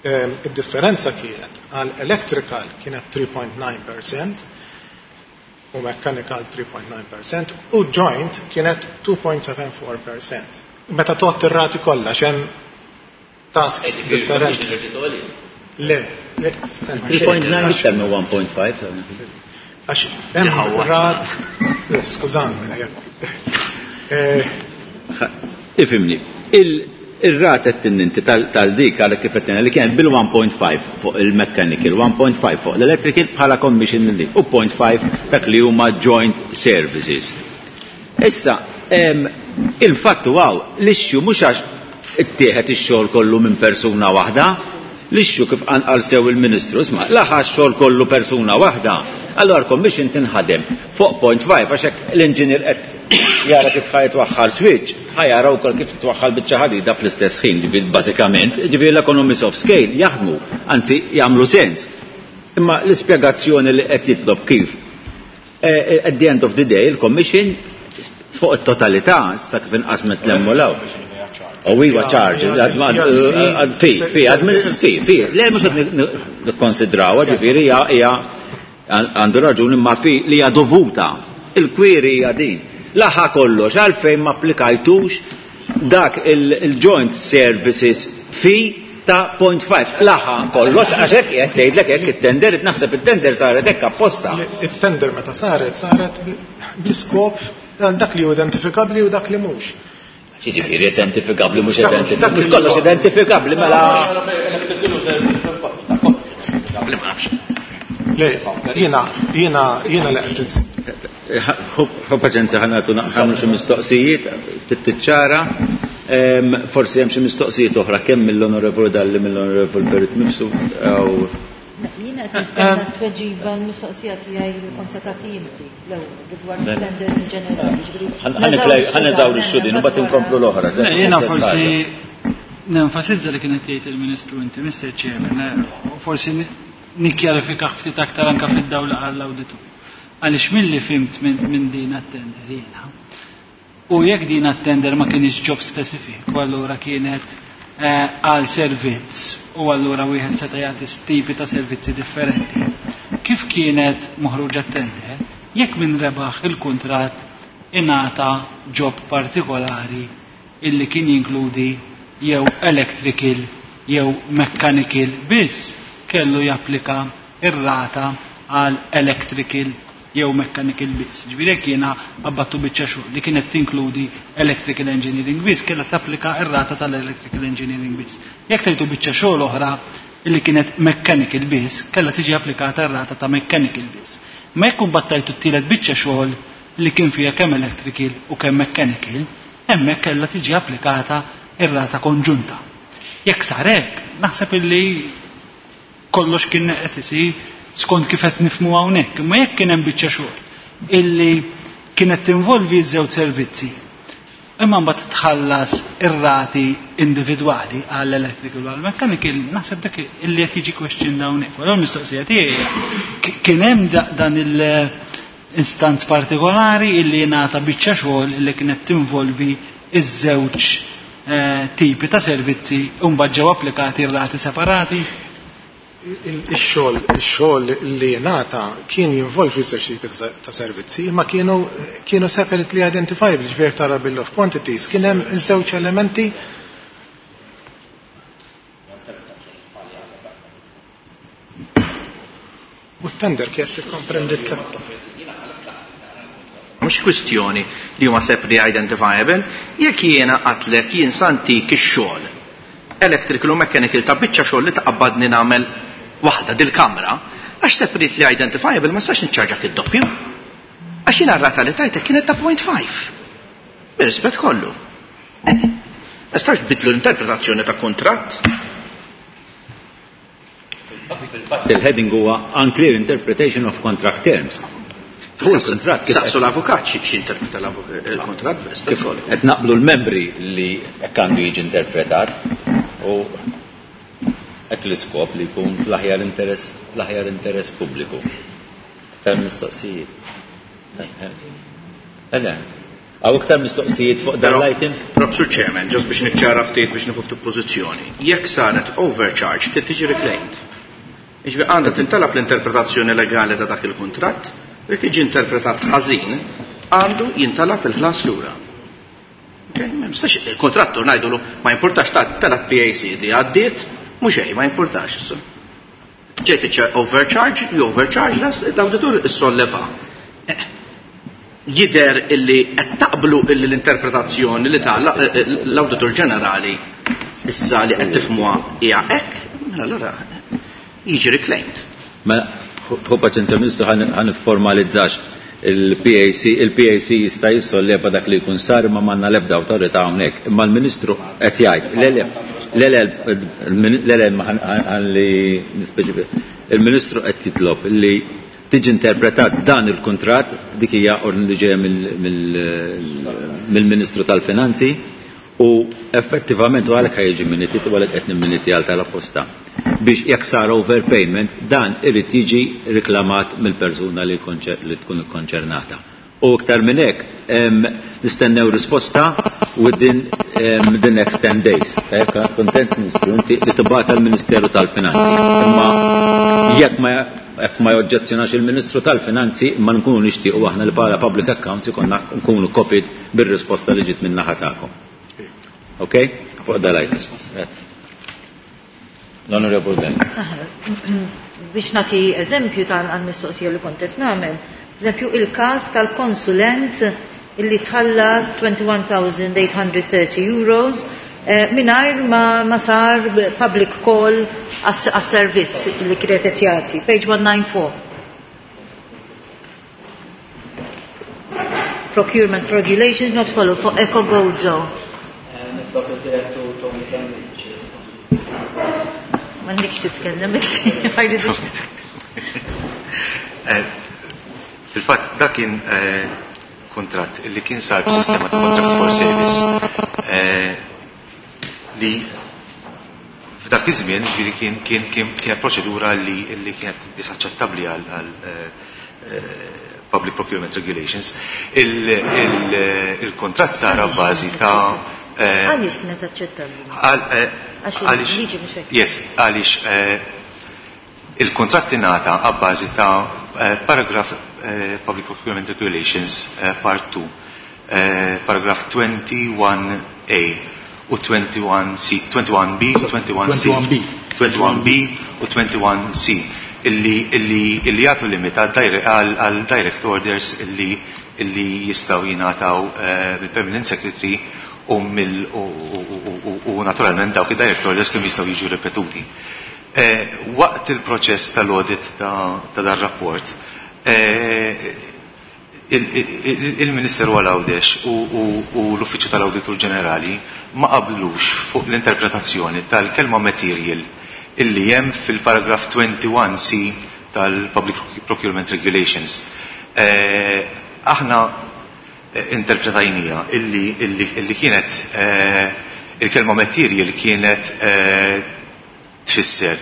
id-differenza kienet Għal electrical kienet three point nine percent u mechanical three point nine percent u joint kienet two point seven four percent. Meta tgħodd ir-rati kollha x'hemm tasks differenti. Le, le, stenna. three point nine iktar minn one point five. Għax hemm rat, skużani, jekk. Ifimni, il-rata t-tinninti tal-dik għal kif qed li kien bil-one point five fuq il-mechanical, one point five fuq l-electrical bħala commission li u point five dak li huma joint services. Issa, il-fatt huwa l-issue mhux għax ittieħed ix-xogħol kollu minn persuna waħda, l-issue kif qanqal sew il-Ministru, isma' laħa x-xogħol kollu persuna waħda, allora commission tinħadem fuq point five għax hekk l-inġinier qed jara kif ħaj twaħħal switch, ħaj jara wkoll kif twaħħal biċċa ħadida fl-istess ħin, ġifieri bażikament, ġifieri l-economies of scale jaħdmu, anzi jagħmlu sens. Imma l-ispjegazzjoni li qed jitlob kif, eh, at the end of the day, il-commission fuq it-totalità, sa kif inqasmet l-hemm u law. U iwa charges, fi, fi, fi, fi, le mhux qed nikkonsidraw, ġifieri hija għandu raġuni ma fi li hija dovuta. Il-kwiri hija din. Laħa kollox, għalfejn ma applikajtux dak il-joint services fee ta' point five. Laħa kollox, għax hekk qed tgħidlek hekk it-tender, naħseb it-tender saret hekk apposta. It-tender meta saret, saret bl-iskop dak li hu identifikabbli u dak li mhux. Jiġifieri identifikabbli mhux identifikabbli. Mhux kollox identifikabbli mela. Le, jiena, jiena, jiena li qed ins- Ħu paċenza ħa nagħtu naqsamlu xi mistoqsijiet, tittiċċara. Forsi hemm xi mistoqsijiet oħra kemm mill-Onorevoli Dalli, mill-Onorevoli Perit Mifsud jew Jiena qed nistenna tweġiba l-mistoqsija tiegħi li kont se tagħti inti l-ewwel rigward tenders in ġenerali, ġifieri Ħa neżawri x-xudin u mbagħad inkomplu l-oħra. Le, jiena forsi nenfasizza li kienet jgħid il-Ministru inti, Mister Chairman, u forsi nikkjarifika ftit aktar anke fid-dawla għall-awditur. Għaliex milli fimt minn din għat-tender jiena. U jekk din għat-tender ma kienx job specific, u allura kienet, eh, għal servizz, u allura wieħed seta' jagħti tipi ta' servizzi differenti. Kif kienet moħruġa t-tender, jekk min rebaħ il-kuntratt ingħata job partikolari illi kien jinkludi jew electrical jew mechanical biss, kellu japplika ir-rata għal electrical jew mechanical biss. Ġifieri jekk jiena abbattu biċċa xogħol li kienet tinkludi electrical engineering biss, kellha tapplika ir-rata tal-electrical engineering biss. Jekk tgħidu biċċa xogħol oħra illi kienet mechanical biss, kellha tiġi applikata r-rata ta' mechanical biss. Ma jekk battajtu t-tielet biċċa xogħol li kien fiha kemm electrical u kemm mechanical, hemmhekk kellha tiġi applikata ir-rata konġunta. Jekk sar hekk, naħseb illi kollox kien qed isir skont kif qed nifhmu hawnhekk. Imma jekk kien hemm biċċa xogħol illi kienet tinvolvi żewġ servizzi, imma mbagħad tħallas ir-rati individwali għall electrical u għall mechanical, naħseb dak illi qed jiġi question hawnhekk. Allura l-mistoqsija tiegħi hija, ki-, kien hemm da-, dan il-instanz partikolari illi ngħata biċċa xogħol illi kienet tinvolvi iż-żewġ, eh, tipi ta' servizzi u mbagħad ġew applikati r-rati separati? Ix-xogħol, ix-xogħol li ngħata kien jinvolvi żewġ tipi ta' servizzi, imma kienu, kienu separately identifiable, ġifieri tara bill of quantities, kien hemm żewġ elementi. U t-tender kienet tikkomprendi t-tlet. Mhux kwistjoni li huma separately identifiable, jekk jiena qatlek jien santik ix-xogħol electrical u mechanical ta' biċċa xogħol li taqabbadni nagħmel waħda dil-kamra, għax separately identifiable ma nistax niċċarġak id-doppju. Għax jiena r-rata li tajtek kienet ta' point five. Bir-rispett kollu. Eh, ma nistax tbiddlu l-interpretazzjoni ta' kuntratt. Fil-fatt il-heading huwa unclear interpretation of contract terms. Fuq il-kuntratt kif Saqsu l-avukat xi, x'interpreta l-avukat, il-kuntratt bir-rispett Kif kollu. Qed naqblu l-membri li hekk għandu jiġi interpretat u hekk l-iskop li jkun fl-aħjar interess, fl-aħjar interess pubbliku. Iktar mistoqsijiet. Ele, Għaw iktar mistoqsijiet fuq dan Però, l-item? Però, Sur Chairman, ġast biex niċċara ftit biex nieħu ftit pożizzjoni. Jekk saret overcharge, trid tiġi reclaimed. Jiġifieri għandha tintalab l-interpretazzjoni legali ta' dak il-kuntratt, jekk jiġi interpretat ħażin, għandu jintalab il-ħlas lura. Okay, ma jistax il-kontrattur ngħidulu ma jimpurtax ta' talab P A C li għaddiet, mhux hej, ma jimpurtax issa. Ġejt overcharge, you overcharge, l-awditur issolleva. Eh, jidher illi qed taqblu illi l-interpretazzjoni li ta' l-Awditur Ġenerali issa li qed tifhmuha hija hekk, mela allura jiġi reclaimed. Mela, ħu paċenzja, Ministru, ħa nifformalizzax il-P A C, il-P A C jista' jissolleva dak li jkun sar, ma m'għandna l-ebda awtorità hawnhekk. Imma l-Ministru qed jgħid, le le, le le, le le, ħalli nispeċifika. Il-Ministru qed jitlob li tiġi interpretat dan il-kontrat, dik hija ordni li ġejja mill-Ministru tal-Finanzi u effettivament u għalhekk jiġi minuti u għalhekk qed nimminiti għal tal-apposta biex jekk sar overpayment dan irid jiġi riklamat mill-persuna li, li tkun ikkonċernata. U iktar minn hekk nistennew risposta within um, the next ten days. Kontent, Ministru, inti li tibgħat għall-Ministeru tal-Finanzi. Imma jekk ma jekk ma joġġezzjonax il-Ministru tal-Finanzi, ma nkunu nixtiequ aħna li bħala Public Accounts ikonna nkunu copied bir-risposta li ġiet minn naħa tagħkom. Ok? Fuq dal-item. Grazzi. L-Onorevole Ben. Biex nagħti eżempju tal-mistoqsija li kont qed nagħmel, eżempju il-każ tal-konsulent illi tħallas twenty-one thousand eight hundred thirty euros eh, mingħajr ma, ma sar public call għas-servizz li kienet qed jagħti. Page one ninety-four. Procurement regulations not followed for Eco Gozo. Nitlob il-direttur Tony Cambridge. M'għandekx titkellem, ma jridux. Eh, fil-fatt, dak kien eh, kontratt li kien sar b'sistema ta' contract for service eh, li f'dak iż-żmien ġifieri kien kien kien kienet proċedura li li kienet biss aċċettabbli għal għal Public Procurement Regulations. Il-kontratt sar bażi ta' Għaliex kienet aċċettabbli? Għax il-liġi mhux hekk. Yes, għaliex il-kontratt ingħata abbażi ta' paragraph Public Procurement Regulations Part two, paragraph twenty-one A u twenty-one C, twenty-one B u twenty-one C. twenty-one B. twenty-one B u twenty-one C illi illi illi jagħtu limit għal direct orders illi illi jistgħu jingħataw mill-Permanent Secretary u mill u naturalment dawk id-direct orders kemm jistgħu jiġu ripetuti. Waqt il-proċess tal-audit ta' dar rapport, il-Ministeru għal Għawdex u l-Uffiċċju tal-Awditur Ġenerali ma qablux fuq l-interpretazzjoni tal-kelma material illi hemm fil-paragraf twenty-one C tal-Public Procurement Regulations. Aħna interpretajnija illi, illi, illi kienet il-kelma material kienet tfisser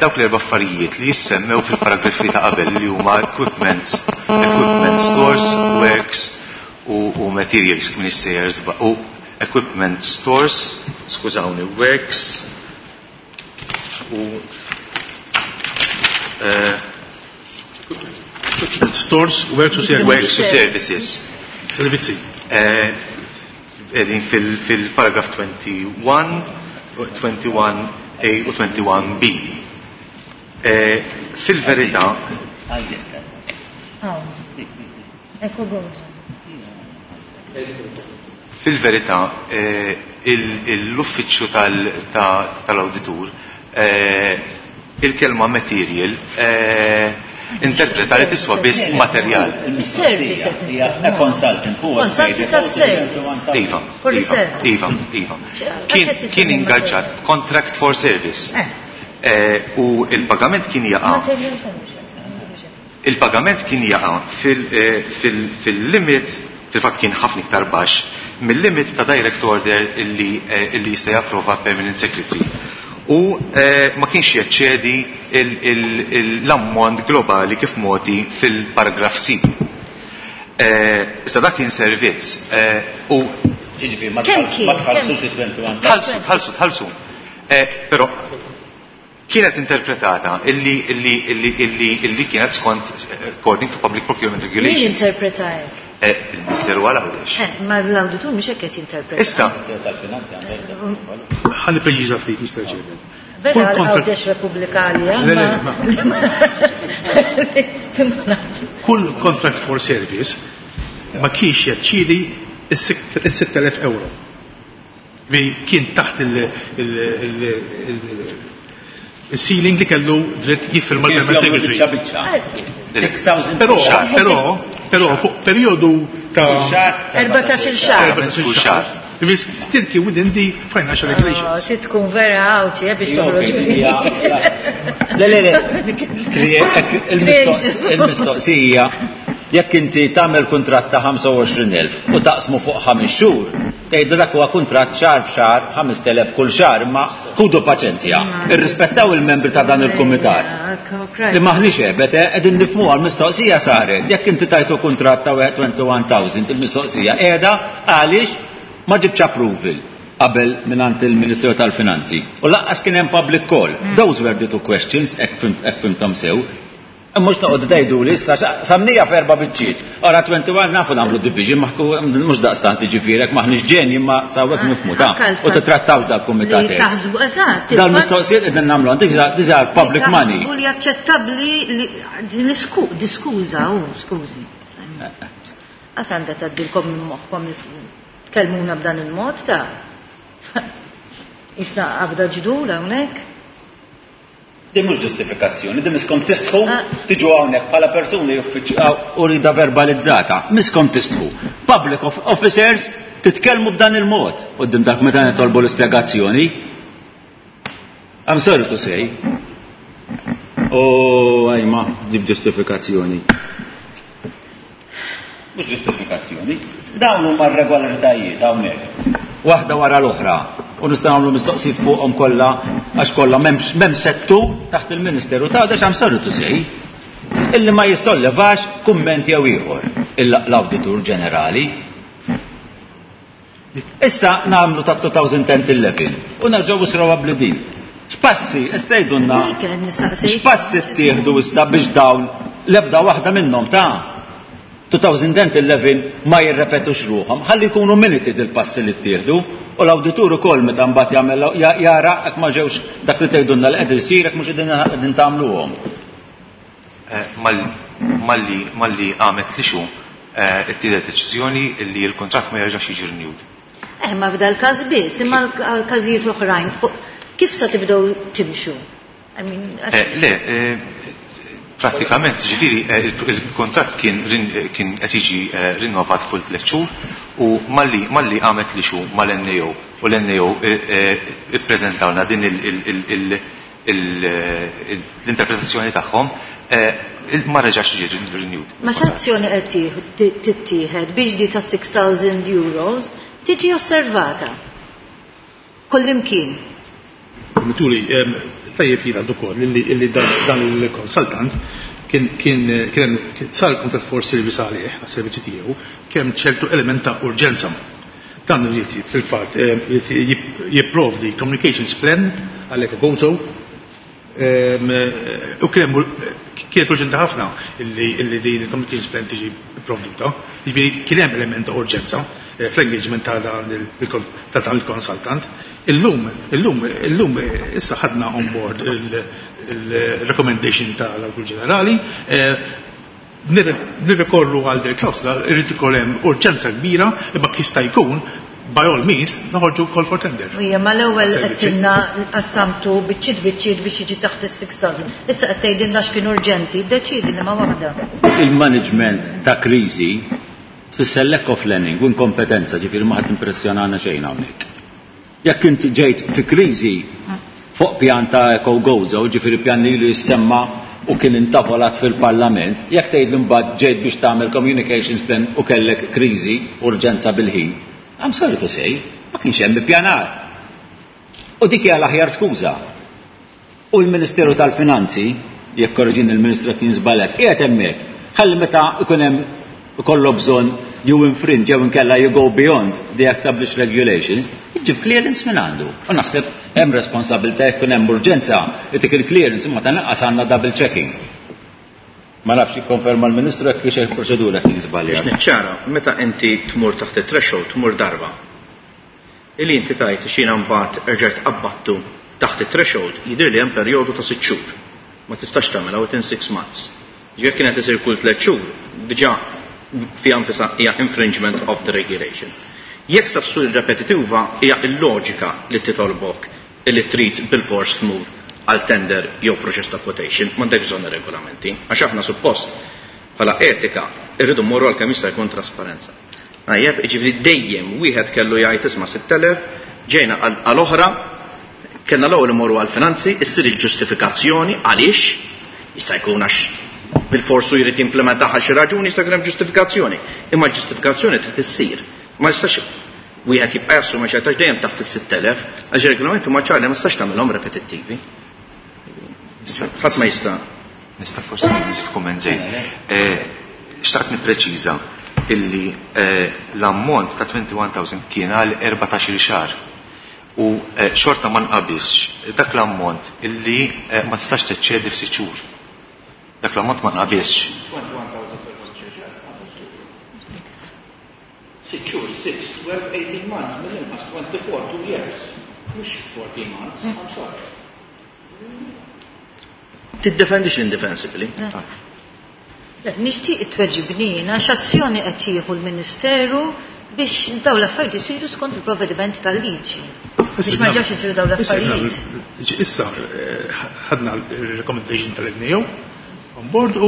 dawk l-erba' affarijiet li jissemmew fil-paragrafi ta' qabel li huma equipment, equipment stores, works u, u materials ministers u equipment stores, skużawni, works u uh, equipment stores, works u services. Works u services. Servizzi. Edin fil-paragraf twenty-one, twenty-one A u twenty-one B. Fil-verità, Eco Gozo. Fil-verità, l-uffiċċju tal-awditur il-kelma material interpreta li tiswa biss materjal. Is-service qed Consultant, huwa Consultant tas-service. Iva, For the Iva, service. Iva, Iva. Kien, kien ingaġġat contract for service. Eh, u il-pagament kien jaqa' Material service. Il-pagament kien jaqa' fil-limit, fil-fatt kien ħafna iktar baxx mill-limit ta' direct order illi, illi jista' japprova Permanent Secretary. U eh, ma kienx jeċċedi l-ammont globali kif moti fil-paragraf C. Eh, issa dak kien servizz eh, u Ġiġifieri, ma Kemm kien? tħallsux il-twenty-one. Tħallsu, tħallsu, tħallsu. Eh, però Kienet interpretata illi illi illi illi illi kienet skont according to public procurement regulations. Min interpreta hekk? Eh, il-Ministeru għal Għawdex. Eh, ma l-awditur mhux hekk qed jinterpreta. Issa. Ħalli preċiża ftit, Mister Chairman. Vera Għawdex Repubblika għalija. Kull contract for service ma kienx jaċċidi is-sitt elef euro. Vi kien taħt il-ceiling li kellu dritt jiffirma l-Permanent Secretary. Però, però, però fuq periodu ta' erbatax-il xahar. erbatax-il xahar. Still kien within the financial regulations. Trid tkun vera għawċi biex toħroġ. Le, le, le. Il-mistoqsija, jekk inti tagħmel kuntratt ta' ħamsa u għoxrin elf u taqsmu fuq ħames xhur, tgħidu dak huwa kuntratt xahar b'xahar ħames elef kull xahar, imma ħudu paċenzja, irrispettaw il-membri ta' dan il-kumitat. Li maħniex ebet, qegħdin nifhmu għall-mistoqsija saret. Jekk inti tajtu kuntratt ta' twenty-one thousand, il-mistoqsija qiegħda għaliex ma ġibx approval qabel mingħand il-Ministeru tal-Finanzi. U lanqas kien hemm public call. Those were the two questions, hekk fimthom sew. Mhux toqgħod tgħidu li issa samnija f'erba' biċċiet. Ora twenty-one nafu nagħmlu division, mhux daqstant jiġifieri hekk maħniex ġenji imma sawwek nifhmu ta' u titrattaw dal-kumitat. Taħsbu eżatt. Dal-mistoqsijiet qegħdin nagħmlu, these are public money. Taħsbu li aċċettabbli li din diskuża, u skużi. Għas għandha tgħaddilkom minn moħħkom tkellmuna b'dan il-mod ta' Isna qabda ġdur hawnhekk. Din mhux ġustifikazzjoni, din miskom tistħu tiġu hawnhekk bħala persuni u rida verbalizzata. Miskom tistħu. Public officers titkellmu b'dan il-mod quddiem dak meta nitolbu l-ispjegazzjoni. I'm sorry to say. Oh, ajma, ġib ġustifikazzjoni. Mhux ġustifikazzjoni. Dawn huma r-regolaritajiet hawnhekk. Waħda wara l-oħra. U nistgħu nagħmlu mistoqsijiet fuqhom kollha għax kollha m'hemm settur taħt il-Ministeru ta' għax I'm sorry to say illi ma jissollevax kumment jew ieħor l-Awditur Ġenerali. Issa nagħmlu ta' two thousand ten eleven u nerġgħu nisraw din. X'passi, issa jgħidulna x'passi ttieħdu issa biex dawn l-ebda waħda minnhom ta' two thousand eleven ma jirrepetux ruħhom, ħalli jkunu minuti dil-passi li ttieħdu u l-awditur ukoll meta mbagħad jagħmel jara jekk ma ġewx dak li tgħidulna li qed isir jekk mhux qegħdin tagħmluhom. Malli malli għamet li xu ittieħdet deċiżjoni li l-kuntratt ma jerġax jiġi renewed. Eh, ma f'dal każ biss, imma għal każijiet oħrajn kif sa tibdew timxu? I mean, għax Le, prattikament, ġifieri, il-kuntratt kien kien qed jiġi rinnovat kull tliet xhur u malli malli għamet li xu mal-N A O u l-N A O ippreżentawna din l-interpretazzjoni tagħhom ma reġax ġie renewed. Ma x'azzjoni qed tittieħed biex di ta' six thousand euros tiġi osservata kullimkien? Mituli, tajjeb jingħad ukoll illi dan il-consultant kien kien kien sar contract for service għalih, għas-servizzi tiegħu, kien hemm ċertu element ta' urġenza. Dan irid fil-fatt irid jipprovdi communications plan għal Eco Gozo, u kien kienet urġenti ħafna illi din il-communications plan tiġi pprovduta. Jiġifieri kien hemm element ta' urġenza fl-engagement ta' dan il-consultant. Illum, illum, illum issa ħadna on board il-recommendation tal-Awditur Ġenerali, nirrikorru għal del klawsla, irrid ikun hemm urġenza kbira, imma jista' jkun by all means noħorġu call for tender. Ija, ma l-ewwel qed tinna qassamtu biċċiet biċċiet biex jiġi taħt is-six thousand. Issa qed tgħidilna x'kien urġenti, iddeċiedi li ma waħda. Il-management ta' kriżi tfisser lack of planning u inkompetenza, ġifieri ma ħadd impressjonana xejn hawnhekk. Jekk inti ġejt fi kriżi fuq pjan ta' Eco Gozo, ġifieri pjan li ilu jissemma u kien intavolat fil-Parlament, jekk tgħid li mbagħad ġejt biex tagħmel communications plan u kellek kriżi, urġenza bil-ħin, I'm sorry to say, ma kienx hemm ippjanar. U dik hija l-aħjar skuża. U l-Ministeru tal-Finanzi, jekk korreġin il-Ministru kien żbaljat, qiegħed hemmhekk. Ħalli meta ikun hemm ikollu bżonn you infringe jew inkella you go beyond the established regulations, iġib clearance minn għandu. U naħseb hemm responsabilità jekk hemm urġenza dik il-clearance imma tanqas għandna double checking. Ma nafx jikkonferma l-Ministru jekk xi proċedura kien żbaljat. Biex niċċara, meta inti tmur taħt it-threshold tmur darba. Illi inti tajt xina mbagħad erġajt qabbattu taħt it-threshold jidher li hemm perjodu ta' sitt xhur. Ma tistax tagħmilha within six months. Ġifier kienet isir kull tliet xhur, diġà fiha nfisha hija infringement of the regulation. Jekk sa ssur repetitiva hija l-loġika li titolbok illi trid bil-fors tmur għal tender jew proċess ta' quotation, m'għandek bżonn regolamenti, għax aħna suppost bħala etika irridu mmorru għal kemm jista' jkun trasparenza. Najjeb, jiġifieri dejjem wieħed kellu jgħid isma' sitt elef, ġejna għal oħra, kellna l-ewwel imorru għal finanzi, issir il-ġustifikazzjoni għaliex, jista' jkun għax bil-forsu jrid jimplementaha għal xi raġuni jista' jkun hemm ġustifikazzjoni, imma l-ġustifikazzjoni trid issir. Ma jistax wieħed jibqa' jassumi xi għax dejjem taħt is-sitt elef, għax ir-regolamenti huma ċari ma tistax tagħmilhom repetittivi. Ħadd ma jista'. Nista' forsi nżid kumment żejt. Xtaqt nippreċiża illi l-ammont ta' twenty-one thousand kien għal erbatax-il xahar u xorta ma nqabisx dak l-ammont illi ma tistax teċċedi f'sitt xhur. Dak l-ammont ma nqabisx. Sitt xhur, six, twelve, eighteen months, mill-inqas twenty-four, two years. Mhux fourteen months, I'm sorry. Tiddefendix l-indefensibli. Nixtieq it-tweġibni jiena x'azzjoni qed jieħu l-Ministeru biex dawn l-affarijiet isiru skont il-provvedimenti tal-liġi. Biex ma ġewx isiru dawn l-affarijiet. Issa ħadna l-recommendation tal-N A O on board u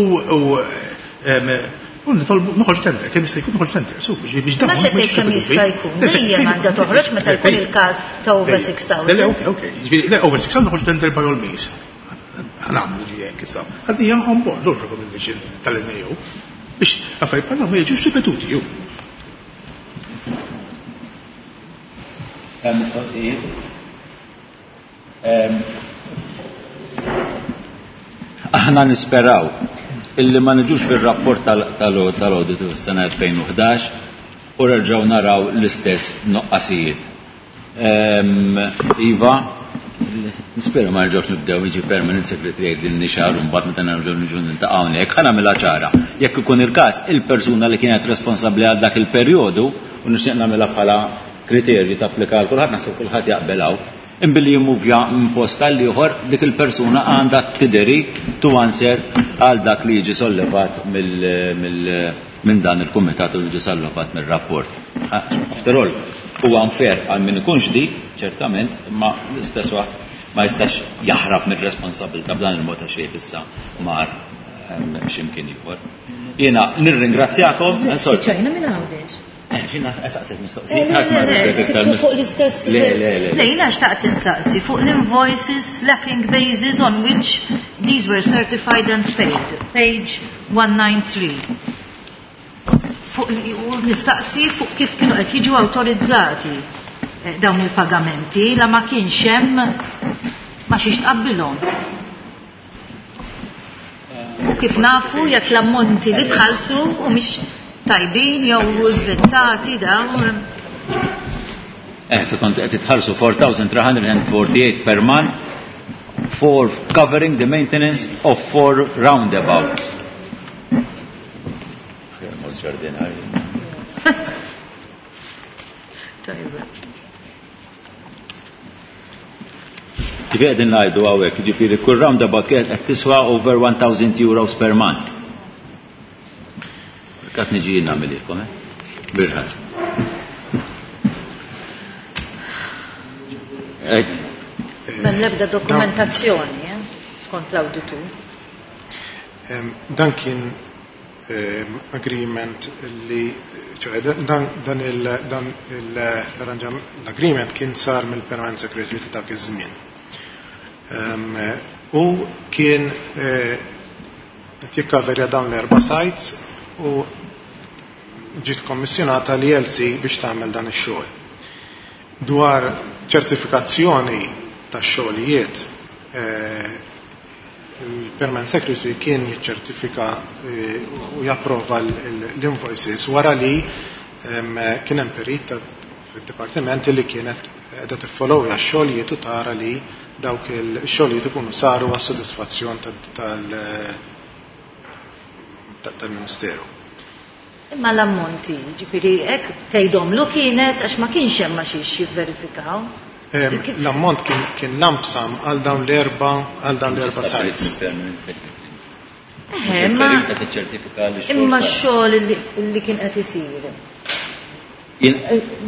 u nitolbu noħorġ tender, kemm jista' jkun noħorġ tender, su biex biex Ma se tgħid kemm jista' jkun, dejjem għandha toħroġ meta jkun il-każ ta' over six thousand. Le, ok, ok. Jiġifieri, le, over six thousand noħorġ tender by all means. Ħanagħmlu ġi hekk issa. Ħadni hija on board l recommendation tal-N A O biex affarijiet bħal ma jiġux ripetuti ju. Hemm mistoqsijiet? Aħna nisperaw illi ma niġux fir-rapport tal-auditu fis-sena elfejn u ħdax u nerġgħu naraw l-istess noqqasijiet. Iva, nispera ma nerġgħux nibdew jiġi permanent secretary jgħid li nixar u mbagħad meta nerġgħu niġu niltaqgħu hawnhekk, ħa nagħmilha ċara. Jekk ikun il-każ, il-persuna li kienet responsabbli għal dak il-perjodu, u nixtieq nagħmilha bħala kriterju tapplika għal kulħadd, naħseb kulħadd jaqbel hawn, imbilli jimmuvja minn post għal ieħor, dik il-persuna għandha tideri to answer għal dak li jiġi sollevat mill-, mill-, minn dan il-kumitat u jiġi sollevat mir-rapport. After all, huwa unfair għal min ikun ġdid, ċertament, imma l-istess waqt ma jistax jaħrab mir-responsabilità b'dan il-mod għax jgħid issa mar x'imkien ieħor. Jiena nirringrazzjakom, sorry. Ċajna minn Għawdex. Eh, xina saqset mistoqsijiet, ħadd ma rrid iktar Fuq mistoqsijiet. l-istess. Le, le, le. Le, jiena xtaqt insaqsi fuq l-invoices lacking basis on which these were certified and paid. Page one nine three. Fuq li, u nistaqsi fuq kif kienu qed jiġu awtorizzati, eh, dawn il-pagamenti la ma kienx hemm ma xiex tqabbilhom. U kif nafu jekk l-ammonti li tħallsu u mhix tajbin jew inventati dawn. Eh, fi kont qed titħallsu four thousand three hundred and forty-eight per month for covering the maintenance of four roundabouts. Tajba. Ġifieri qegħdin ngħidu hawnhekk, jiġifieri kull roundabout kienet qed tiswa over one thousand euros per month. Kas niġi jien nagħmililkom, eh? Birħas. M'hemm l-ebda dokumentazzjoni, eh? Skont l-awditur. Em, dan kien, em, agreement li, ċoħe, dan, dan il, dan il, l-arranġam, l-agreement kien sar mill-Permanent Secretary ta' dak iż-żmien. Em, u kien, eh, qed jikkaverja dawn l-erba' sites u ġiet kommissjonata l E L C biex tagħmel dan ix-xogħol. Dwar ċertifikazzjoni tax-xogħlijiet, eh, il-Permanent Secretary kien jiċċertifika eh, u japprova l-invoices wara li kien hemm perit fid-dipartiment li kienet qiegħda tiffollowja x-xogħlijiet u tara li dawk il-xogħlijiet ikunu saru għas-sodisfazzjon tal-Ministeru. Imma l-ammonti, ġifieri hekk tgħidhomlu kienet għax ma kienx hemm ma xiex jivverifikaw. L-ammont kien lump sum għal dawn l-erba għal dawn l-erba sites. Imma x-xogħol li kien qed isir.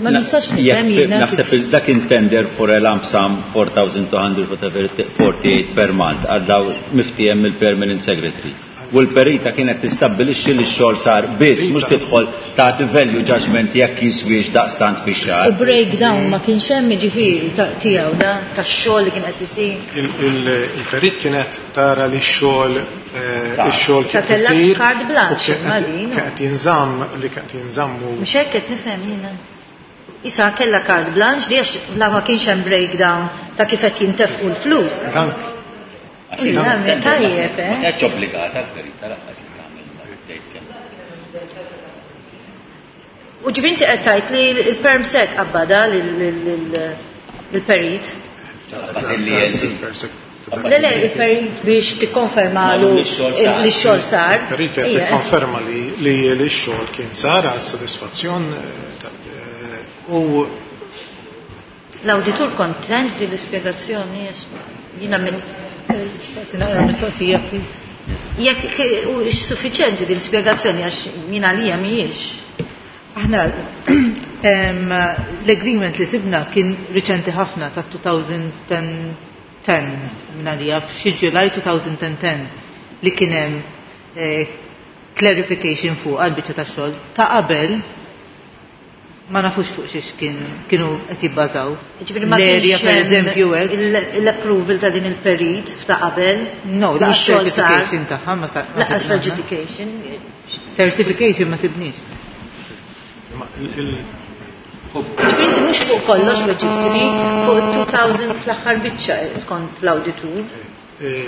Ma nistax nifhem jiena. Naħseb dak kien tender for a lump sum four thousand two hundred forty-eight per month għal daw miftiehem mill-Permanent Secretary. U l-perita kienet tistabbilixxi li x-xogħol sar biss, mhux tidħol tagħti value judgment jekk jiswiex daqstant fix-xahar. U breakdown ma kienx hemm jiġifieri tiegħu da tax-xogħol li kien qed isir. Il-perit kienet tara li x-xogħol ix-xogħol kien isir. Carte blanche ma din. Kien qed jinżamm li kien qed jinżammu. Mhux hekk qed nifhem jiena. Issa kellha carte blanche li għax la ma kienx hemm breakdown ta' kif qed jintefqu l-flus. Tajjeb, eh? Ma kienx obbligata l-perita lanqas li tagħmel tgħid kemm. U ġifieri inti qed tgħid li l-perm sec qabbada lill-perit. Le le, il-perit biex tikkonfermalu li x-xogħol sar. Il-perit qed tikkonferma li x-xogħol kien sar għal sodisfazzjon u l-awditur kontent din l-ispjegazzjoni jiena minn Naqra mistoqsija, please. Jekk u suffiċenti din l-ispjegazzjoni għax jien għalija mhijiex. Aħna l-agreement li sibna kien riċenti ħafna ta' two thousand ten minn għalija f'xi July two thousand ten li kien hemm clarification fuq għal-biċċa tax-xogħol ta' qabel ma nafux fuq xiex kienu qed jibbażaw. Ġifieri ma L-area, kienx per hemm eżempju, hekk. l-approval ta' din il-perit f'ta' qabel. No, li laqas x-xogħol sar. certification tagħha ma sa- ma Laqas sibna. adjudication. Certification ma sibniex. Ġifieri inti mhux fuq kollox weġibtni fuq two thousand fl-aħħar biċċa skont l-awditur.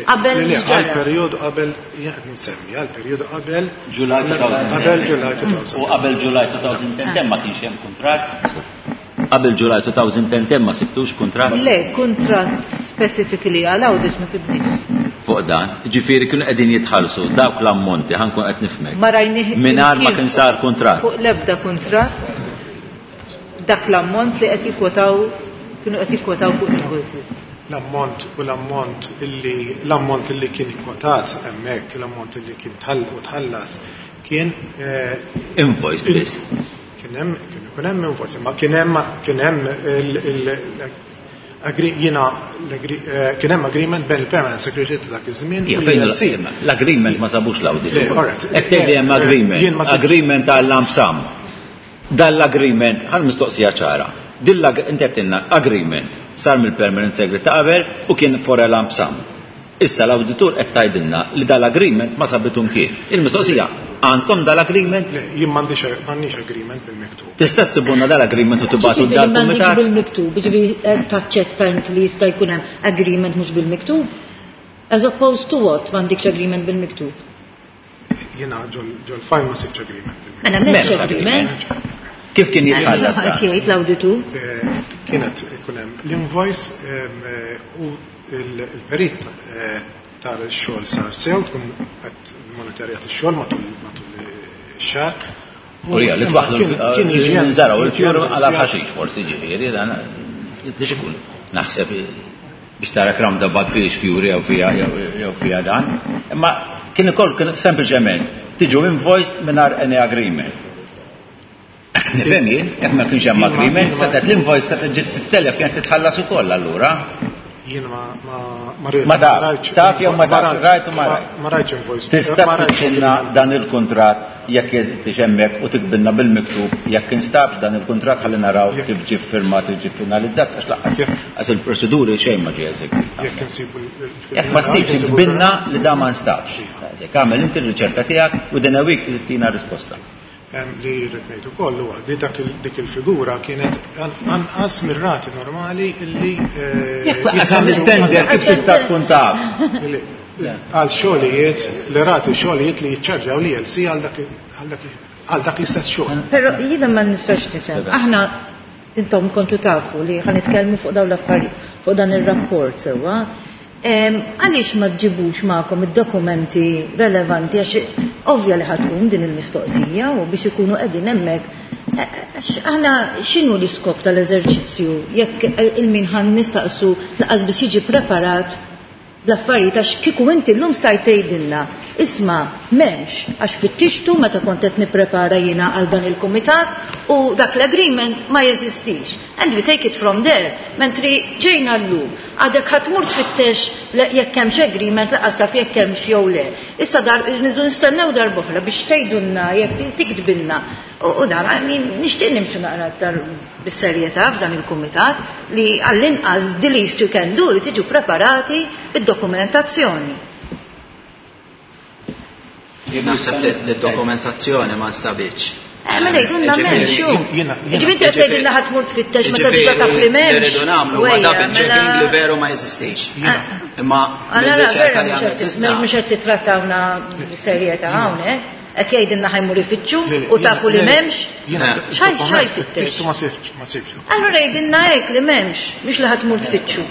Qabel Le, le, x'ġara? għal periodu qabel, jien qed nsemmi, għal periodu qabel July two thousand ten. Qabel July two thousand. U qabel July two thousand ten ma kienx hemm kuntratt. Qabel July two thousand ten ma sibtux kuntratt? Le, kuntratt specifically għal Għawdex ma sibniex. Fuq dan, ġifieri kienu qegħdin jitħallsu dawk l-ammonti, ħankun qed nifhmek. Ma rajnih Mingħajr ma imkien kien sar kuntratt. Fuq l-ebda kuntratt dak l-ammont li qed jikkwotaw kienu qed jikkwotaw fuq invoices. L-ammont u l-ammont illi l-ammont illi kien ikkwotat hemmhekk, l-ammont illi kien tħall u tħallas kien, eh, invoice biss. Kien hemm, kien ikun hemm invoice, ma kien hemm, kien hemm il, il, agri, jiena, l-agri, eh, kien hemm agreement bejn il-Permanent Secretary ta' dak iż-żmien Ija, u fejn l-E L C. l-agreement ma sabux l-awditur. Le, all right. Qed tgħid li hemm Eh, agreement, jien ma sibx. agreement għal lump sum. Dan l-agreement, ħal mistoqsija ċara. Din l-ag-, inti qed tgħidilna agreement sar mill-Permanent Secretary ta' qabel u kien for a lump sum. Issa l-awditur qed tgħidilna li dal-agreement ma sabitu mkien. Il-mistoqsija, għandkom dal-agreement? Le, jien m'għandix, m'għandix agreement bil-miktub. Tista' ssibulna dal-agreement u tibgħatu Ġifieri m'għandix dal-kumitat? bil-miktub, ġifieri qed taċċetta inti li jista' jkun hemm agreement mhux bil-miktub? As opposed to what m'għandikx agreement bil-miktub? Jiena ġol file ma sibx agreement bil-miktub. Mela m'hemmx M'hemmx agreement. agreement. Kif kien jitħallas Qed dan? jgħid l-awditur? Eh, kienet ikun hemm l-invoice, ehm, eh, u il-perit, eh, tar ix-xogħol sar sew, tkun qed monitorjat ix-xogħol matul, matul ix-xahar. U hija li twaħħlu Kien- kien jiġi hemm- nżaraw jiġi il-fjur hemm għala sijat. ħaxix forsi ġifieri dan tix ikun naħseb biex tara roundabout fiex fjuri jew fija jew fija dan. Imma kien ukoll kien sempliċement tiġu invoiced mingħajr any agreement. Nifhem jien, jekk ma kienx hemm Jien ma- agreement, jien ma- setgħet l-invoice setgħet ġiet sitt elef kienet titħallas ukoll allura. Jien ma, ma, ma rrid- Ma taf, ma rajtx- taf jew ma ma tafx, rajtx- rajt u ma ma- rajt. ma rajtx invoice. Tista' Ma rajtx tfittxilna agreement. dan il-kuntratt jekk jeżistix hemmhekk u tikbilna bil-miktub jekk instabx dan il-kuntratt ħalli naraw Jekk- kif ġie firmat u ġie finalizzat għax laqqas Jekk- għax il-proċeduri xejn ma ġie eżegwita. Jekk insibu l- l- Jekk ma ssibx insibu tbinna li da ma nstabx. Daqshekk għamel inti r-riċerka tiegħek u din a week tittina risposta. Em, li rrid ngħid ukoll huwa li dak il-, dik il-figura kienet an-, anqas mir-rati normali illi, eh, Jekk lanqas jitħallsu għamil tender kif tista' tkun taf? Illi, Għal xogħlijiet li rati xogħlijiet li jiċċarġaw li L C għal dak għal dak għal dak l-istess xogħol. Però jiena ma nistax nifhem. Aħna, intom kontu tafu li ħa nitkellmu fuq dawn l-affarijiet, fuq dan ir-rapport sewwa. Em, Għaliex ma ġibux magħkom id-dokumenti relevanti, għax ovvja li ħa tqum din il-mistoqsija u biex ikunu qegħdin hemmhekk. Eh, għax aħna x'inhu l-iskop tal-eżerċizzju jekk il-min ħa nistaqsu lanqas biss jiġi preparat bl-affarijiet? Għax kieku inti llum stajt tgħidilna, "Isma', m'hemmx, għax fittixtu meta kont qed nipprepara jiena għal dan il-kumitat u dak l-agreement ma jeżistix." And we take it from there. Mentri ġejna llum, għadek ħa tmur tfittex jekk hemmx agreement, lanqas taf jekk hemmx jew le. Issa dar nidu nistennew darb'oħra biex tgħidulna jekk tiktbilna. U u dan, I mean, nixtieq nimxu naqra aktar bis-serjetà f'dan il-kumitat li għall-inqas the least you can do li tiġu preparati bid-dokumentazzjoni. Naħseb li d-dokumentazzjoni ma nstabitx. Eh, ma ngħidulna m'hemmx hu. Ġifieri inti qed tgħidilna ħa tmur tfittex meta diġà taf li m'hemmx. Li rridu nagħmlu huwa double checking li veru ma jeżistix. Imma Allora, mill-riċerka vera li għamlet issa. mhux qed titrattawna bis-serjetà hawnhekk. Qed jgħidilna ħa jmur ifittxu u tafu li m'hemmx. Xaj xaj fittex. Ma sibx, ma sibx. Allura jgħidilna hekk li m'hemmx, mhux li ħa tmur tfittxu.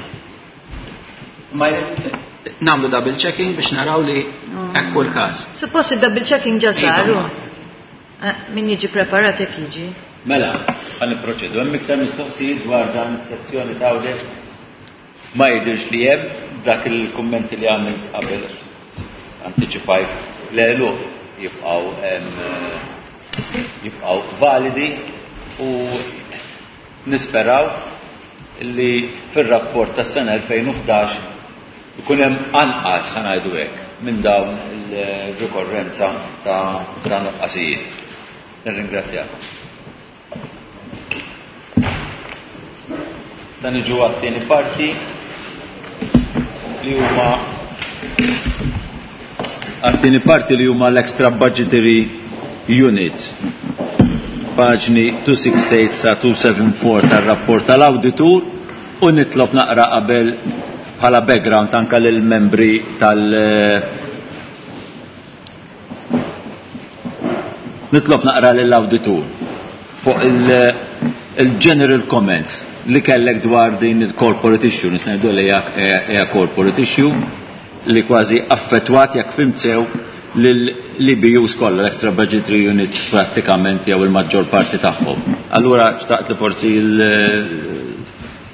Ma nagħmlu double checking biex naraw li hekk kull każ. Suppost il-double checking ġa saru. Iva. Eh, Min jiġi preparat hekk jiġi. Mela, ħa nipproċedu. Hemm iktar mistoqsijiet dwar dan is-sezzjoni ta' audit? Ma jidirx li hemm. Dak il-kummenti li għamilt qabel, antiċipajt l-għeluq, jibqgħu em, jibqgħu validi u nisperaw li fir-rapport tas-sena elfejn u ħdax ikun hemm anqas, ħa ngħidu hekk, minn dawn il-rikorrenza ta' ta' nuqqasijiet. Nirringrazzjakom. Issa niġu għat-tieni parti li huma għat-tieni parti li huma l-extra budgetary units. Paġni dmija u sittin sa dmija u erbgħa tar-rapport tal-awditur u nitlob naqra qabel bħala background anka lill-membri tal- nitlob naqra lill-awditur fuq il-general comments li kellek dwar din il-corporate issue, nista' ngħidu li hija corporate issue li kważi affettwat, jekk fhimt sew, l-E B Us kollha, l-extra budgetary unit prattikament jew il-maġġor parti tagħhom. Allura xtaqt li forsi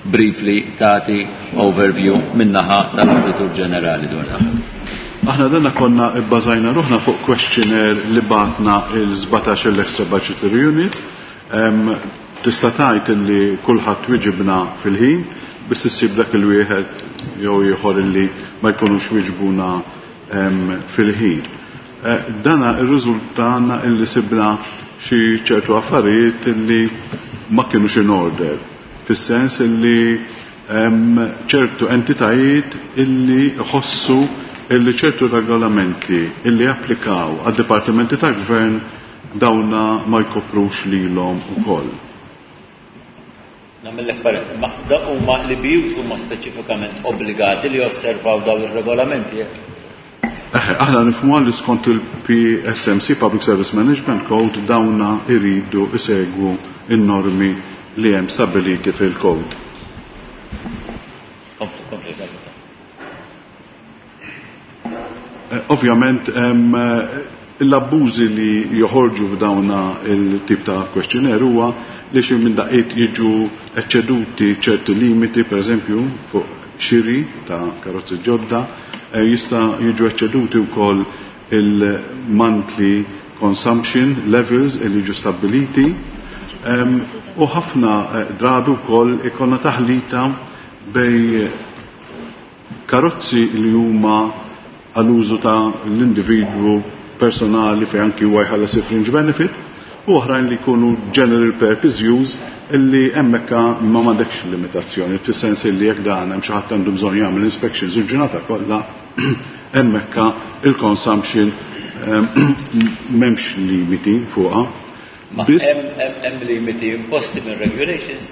il-briefly tagħti overview min-naħa tal-Awditur Ġenerali dwar dan. Aħna danna konna bbażajna ruħna fuq questionnaire li bagħtna il-sbatax l-extra budgetary unit. Em, Tista' tgħid illi kulħadd wiġibna fil-ħin, biss issib dak il-wieħed jew ieħor illi ma jkunux wiġbuna em, fil-ħin. Eh, Dana ir-riżultana illi sibna xi ċertu affarijiet illi ma kienux in order. Fis-sens illi hemm ċertu entitajiet illi ħossu illi ċertu regolamenti illi applikaw għad-dipartimenti ta' gvern dawna ma jkoprux lilhom ukoll. Nagħmellek parent, ma da huma l-E B Us huma speċifikament obbligati li josservaw dawn ir-regolamenti? Eħe, aħna nifhmu li skont il-P S M C, Public Service Management Code, dawna iridu isegwu in-normi li hemm stabiliti fil-code. Kompli, kompli, eżatt. Eh, Ovvjament, hemm, eh, l-abbużi li joħorġu f'dawna il-tip ta' questionnaire huwa li xi minn daqqiet jiġu eċċeduti ċerti limiti, per eżempju, fuq xiri ta' karozzi ġodda, eh, jista' jiġu eċċeduti wkoll il-monthly consumption levels li jiġu stabiliti. Em, u ħafna eh, drabi wkoll ikollna taħlita bejn karozzi li huma għall-użu ta' l-individwu personali fejn anki huwa jħallas il-fringe benefit u oħrajn li jkunu general purpose use illi hemmhekk ma m'għandekx limitazzjoni, fis-sens illi jekk dan hemm xi ħadd għandu bżonn jagħmel inspections il-ġurnata kollha, hemmhekk il-consumption ehm, m'hemmx limiti fuqha. Ma Biss hemm hemm limiti imposti minn regulations?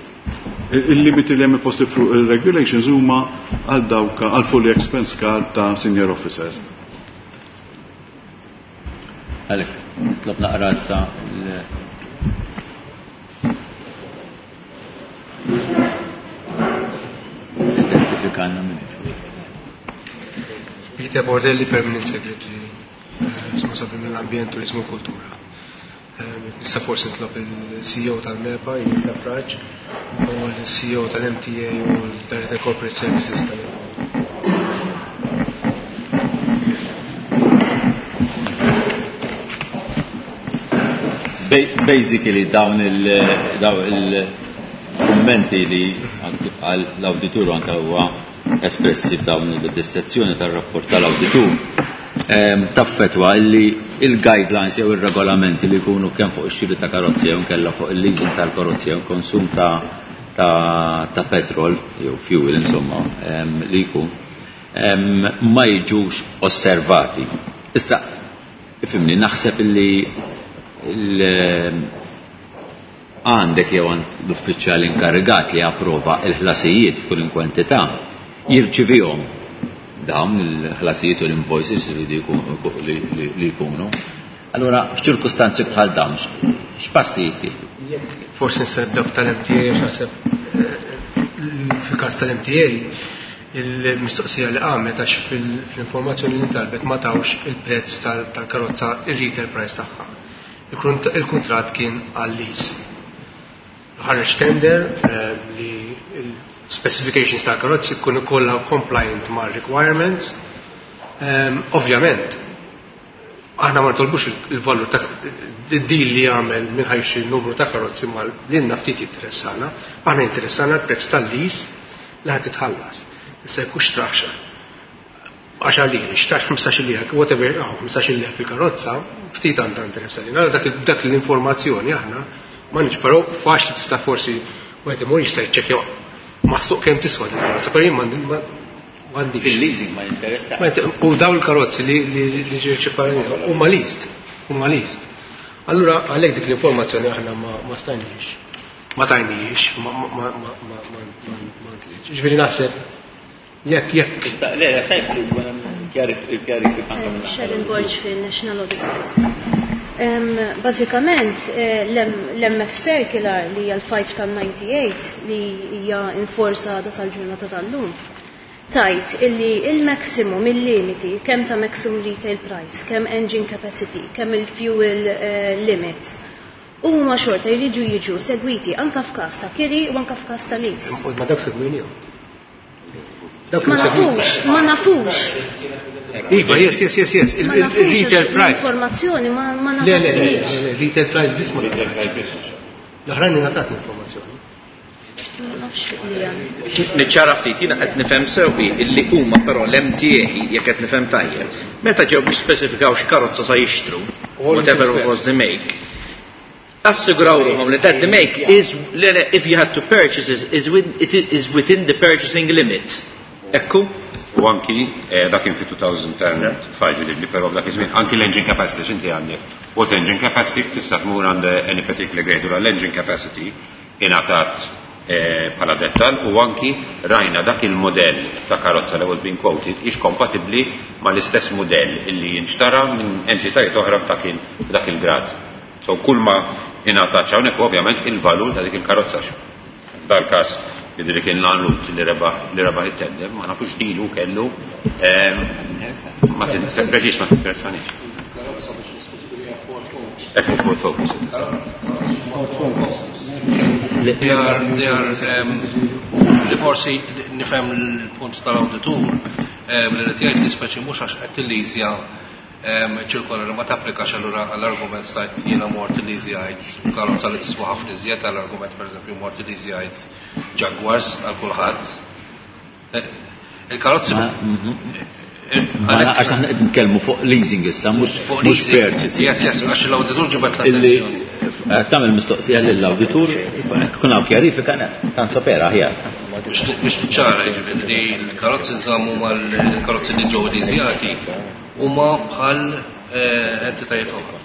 Il-limiti li hemm imposti fuq il-regulations huma għal dawk għal fully expense card ta' senior officers. Għalek, nitlob naqra issa l-identifikanna minn. Peter Bordelli, Permanent Secretary, responsabbli mill-Ambjent, Turizmu u Kultura. Nista' forsi nitlob il-C E O tal-MEPA, Jista Fraġ, u l-C E O tal-M T A u l-Director Corporate Services tal-M T A. Basically dawn il-kummenti li kif qal l-awditur anke huwa espressi f'dawn il-dissezzjoni tar-rapport tal-awditur taffetwa illi il-guidelines jew ir-regolamenti li jkunu kemm fuq ix-xiri ta' karozzi jew nkella fuq il-leasing tal-karozzi jew konsum ta' ta' ta' petrol jew fuel insomma li jkun ma jiġux osservati. Issa, ifhimni, naħseb illi għandek jew għand l-uffiċjal inkarigat li approva il-ħlasijiet f'kull kwantità jirċivihom dawn il-ħlasijiet u l-invoices li jkunu. Allora, f'ċirkustanzi bħal dawn, x'passi jittieħdu? Forsi nista' nibda tal-M T A, naħseb fil-każ tal-M T A il-mistoqsija li qamet għax fil-informazzjoni li ntalbet ma tawx il-prezz tal-karozza, il-retail price tagħha. Il-kuntratt kien għal-lease. Ħareġ tender li specifications tal-karozzi jkunu kollha compliant ma' requirements. Ovvjament, aħna ma nitolbux il-valur ta' deal li għamel minn ħa jixtri numru ta' karozzi, ma lilna ftit interessana, aħna interessana l-prezz tal-lease li ħad titħallas. Issa jekk xtrax għaxar liri, xtrax ħmistax lira, whatever, oh, ħmistax lira fil-karozza, ftit għandha interessani. Allora dak dak l-informazzjoni aħna ma nix, però faċli tista' forsi wieħed imur jista' jiċċekkja maħsuq kemm tiswa din il-karozza, però jien m'għandix. Fil-leasing ma jinteressa. U dawn il-karozzi li li ġew huma leased, huma leased. Allura għalhekk dik l-informazzjoni aħna ma stajniex, ma tajniex, ma ma ma ma ma ma Ġifieri naħseb jekk jekk. Le, tajb li kjarifika. Sharon Borg fil-National Audit Office. Bażikament l-M F Circular li hija l-ħamsa tal-disgħa u disgħin li hija in force da sal-ġurnata tal-lum. Tajt illi il-maximum, il-limiti, kemm ta' maximum retail price, kemm engine capacity, kemm il-fuel limits, huma xorta jridu jiġu segwiti anka f'każ ta' kiri u anka f'każ ta' lease. Ma dak segwinihom. Ma nafux, ma nafux. Iva, yes, yes, yes, yes. Il-retail price. Informazzjoni ma ma nafux. Le, le, le, retail price biss ma. L-oħrajn ngħatat informazzjoni. Niċċara ftit, jiena qed nifhem sewwi illi huma però l-M T A, jekk qed nifhem tajjeb, meta ġew biex spesifikaw x'karozza sa jixtru, whatever was the make, assiguraw ruħhom li that the make is, if you had to purchase is, is, with, it is within the purchasing limit. Ekku? U anki, eh, dak kien fi elfejn u ħamsa li però dak iż-żmien anki l-engine capacity x'inti għandek. What engine capacity tista' tmur għand any particular grade u l-engine capacity ingħatat eh, bħala dettal u anki rajna dak il-modell ta' karozza li was being quoted ix kompatibbli mal-istess modell illi jinxtara minn entitajiet oħra f'dak il-grad. So kull ma ingħatat hawnhekk ovvjament il-valur ta' dik il-karozza. Dal-każ jidri kien l-anrut li rebaħ li rebaħ it-tender, ma nafux dilu kellu ma preċis ma tinteressanix. Ekku Ford Focus. They are, they are, um, li forsi nifhem l-punt tal-awditur li qed jgħid li speċi mhux għax qed tilleasja ċirkolari ma tapplikax, allura għall-argument stajt jiena mort illeasjajt karozza li tiswa ħafna iżjed, għall-argument pereżempju mort illeasjajt Jaguars għal kulħadd. Il-karozzi Għax aħna qed nitkellmu fuq leasing issa, mhux mhux purchasing. Yes, yes, għax l-awditur ġibet l-attenzjoni. Tagħmel mistoqsija lill-awditur, kun hawn kjarifika tant opera aħjar. Biex ċara, jiġifieri li l-karozzi nżammu mal-karozzi li ġew leasjati huma bħal entitajiet oħra.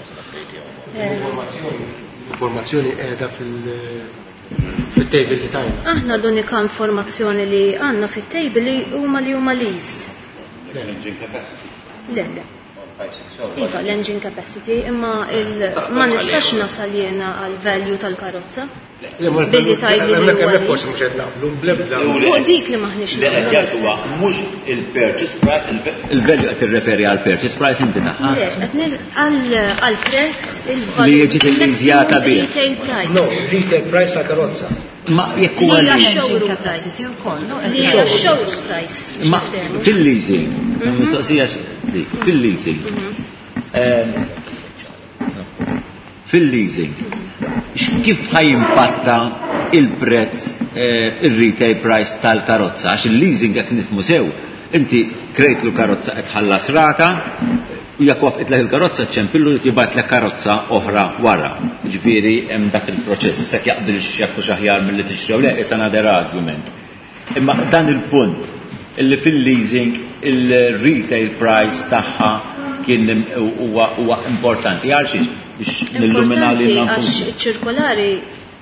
L-informazzjoni qiegħda fil Fit-table li tajna. Aħna l-unika informazzjoni li għandna fit-table li huma li huma leased. L-engine capacity. Le, le. Iva, l-engine capacity, imma ma nistax nasal jiena għal value tal-karozza. Billi tgħidli li Hemmhekk huwa hemmhekk forsi mhux qed naqblu bl-ebda. Fuq dik li m'aħniex Li qed jgħid huwa mhux il-purchase price, il-value qed tirreferi għal purchase price inti tagħha. Le, qed għal prezz il-value. Li jiġi tilliżjata bih. Retail price. No, retail price ta' karozza. Ma jekk huwa Li hija leasing. showroom price. Li hija showroom price. Ma fil-leasing, mistoqsija dik, fil-leasing. Ehm, Fil-leasing, kif ħa jimpatta il-prezz, eh, il-retail price tal-karozza? Għax il-leasing jekk nifhmu sew, inti krejtlu karozza qed tħallas rata, u jekk wafqitlek il-karozza ċempillu li jibgħatlek karozza oħra wara. Ġifieri hemm dak il-proċess, se jaqbilx jekk hux aħjar milli tixtri le, it's another argument. Imma dan il-punt illi fil-leasing il-retail price tagħha kien huwa huwa importanti. Għal xiex biex nillumina li Importanti għax iċ-ċirkolari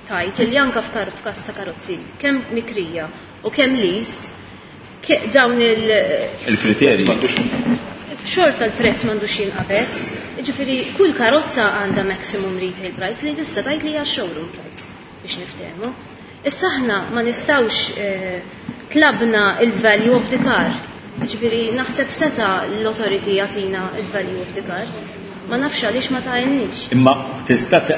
tajt li anka f'kar f'każ ta' karozzi, kemm mikrija u kemm leased, ke- dawn il- Il-kriterji. Xorta l-prezz m'għandux jinqabeż, jiġifieri kull karozza għandha maximum retail price li tista' tgħid li hija showroom price biex niftehmu. Issa aħna ma nistgħux eh, tlabna il-value of the car. Jiġifieri naħseb seta l-authority jagħtina il-value of the car. Ma nafx għaliex ma tgħinniex. Imma tista' t-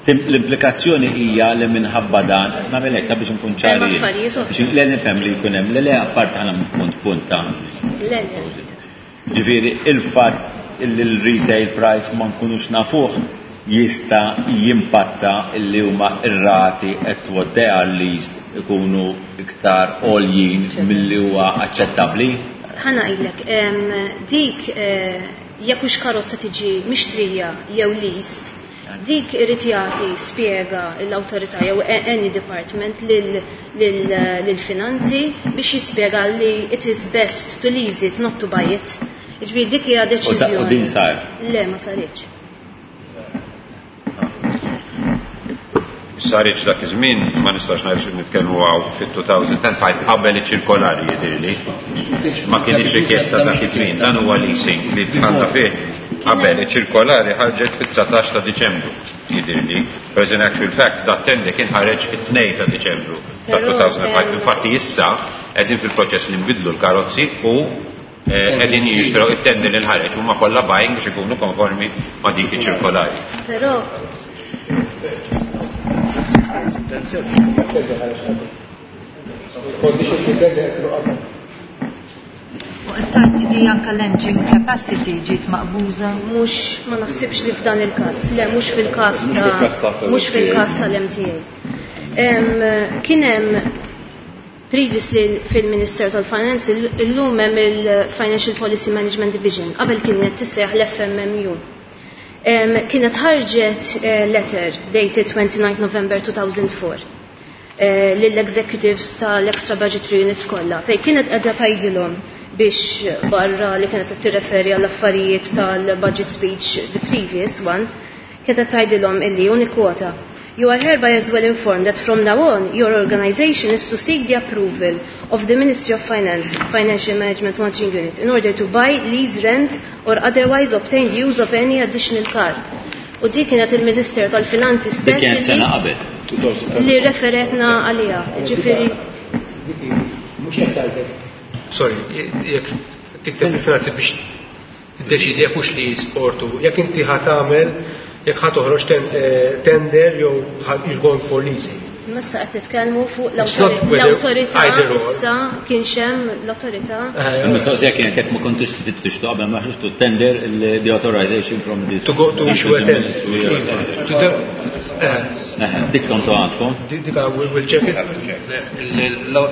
tim- l-implikazzjoni hija li minħabba dan, nagħmel hekk biex nkun ċari. Hemm affarijiet oħra. Biex le nifhem li jkun hemm, le le apart ħana punt punt ta' Le, le. Ġifieri il-fatt li l-retail price ma nkunux nafuh jista' jimpatta li huma ir-rati qed what they are leased ikunu iktar għoljin milli huwa aċċettabbli. Ħa ngħidlek, em, dik eh, jekk hux karozza tiġi mixtrija jew leased, dik irid jagħti spjega l-awtorità jew a- any department lil- lil- lill-finanzi biex jispjega li it is best to lease it, not to buy it. Jiġifieri dik hija U da- U deċiżjoni. din sar. Le, ma saritx. Saritx dak iż-żmien, ma nistax ngħid xi nitkellmu hawn fit-two thousand and five qabel iċ-ċirkolari jidhirli. Ma kienx rikjesta dak iż-żmien, dan huwa leasing li dħalna fih qabel iċ-ċirkolari ħarġet fit-dsatax ta' Diċembru jidhirli. Whereas in actual fact dat tender kien ħareġ fit-tnejn ta' Diċembru ta' Però, two thousand and five. em, Infatti issa qegħdin fil-proċess li nbidlu l-karozzi u eh, qegħdin jixtru it-tender li nħareġ huma kollha buying biex ikunu konformi ma' dik iċ-ċirkolari. Però Conditions li tender kienu qabel. U qed tgħid li anke l-engine capacity ġiet maqbuża. Mhux, ma naħsibx li f'dan il-każ, le, mhux fil-każ Mhux fil-każ ta' ta' mhux fil-każ tal-M T A. Em, Kien hemm previously fil-Ministeru tal-Finance, illum hemm il-Financial Policy Management Division, qabel kienet tissejjaħ l-F M M U. Em, Kienet ħarġet eh, letter dated twenty-nine November two thousand four eh, lill-executives tal-extra budgetary units kollha, fej kienet qiegħda tgħidilhom biex barra li kienet qed tirreferi għall affarijiet tal-budget speech, the previous one, kienet qed tgħidilhom illi unikwota: "You are hereby as well informed that from now on your organization is to seek the approval of the Ministry of Finance, Financial Management Monitoring Unit, in order to buy, lease, rent or otherwise obtain the use of any additional car." U dik kienet il-Ministeru tal-Finanzi Dik stess kienet sena li, qabel. Li referetna għaliha. Ġifieri Mhux qed tgħidlek. Sorry, jekk tikteb il-finanzi biex tiddeċidi jekk hux li sportu, jekk inti ħa tagħmel, jekk ħa toħroġ ten- eh, tender jew ħa- you're going for leasing. Issa qed nitkellmu fuq It's not whether l-awtorità either or. issa kienx hemm l-awtorità. Il-mistoqsija kienet jekk ma kontux tfittixtu qabel ma ħriġtu tender the authorization from this To go to issue a tender. To the- eh, Eħe, dik kontu għandkom. Dik we'll we'll check it.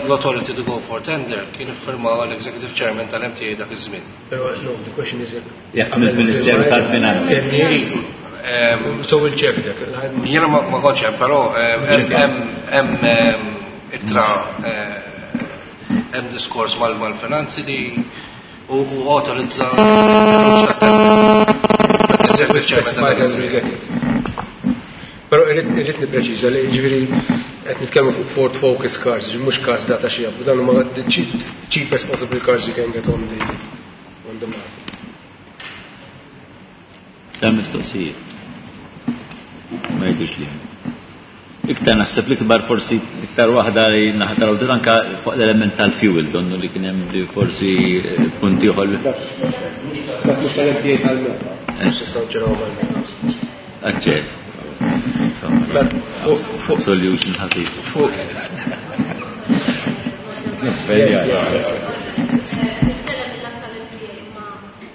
L-authority to go for tender kien iffirmaw l-Executive Chairman tal-M T A dak iż-żmien. Però no, the question is Jekk mill-Ministeru tal-Finanzi. So we'll check dak. Jiena ma ma kontx hemm, però hemm hemm hemm ittra, eh, hemm diskors mal mal-finanzi li u u autorizza Exactly, specified and we'll get it. Però irrid irrid nippreċiża li ġifieri Qed nitkellmu fuq Ford Focus cars, mhux cars data xi jabu, dan huma the cheap, cheapest possible cars you can get on the on the market. Hemm mistoqsijiet. Ma jidhirx li hemm. Iktar naħseb li kbar forsi iktar waħda li naħa tal-awditur anka fuq l-element tal-fuel, donnu li kien hemm li forsi eh, punti ieħor. Dak mhux tal-M T A, tal-MEPA. Mhux nistgħu nġraw mal-MEPA. Aċċett. Fuq Solution ħafif. Fuq. Yes, yes, yes,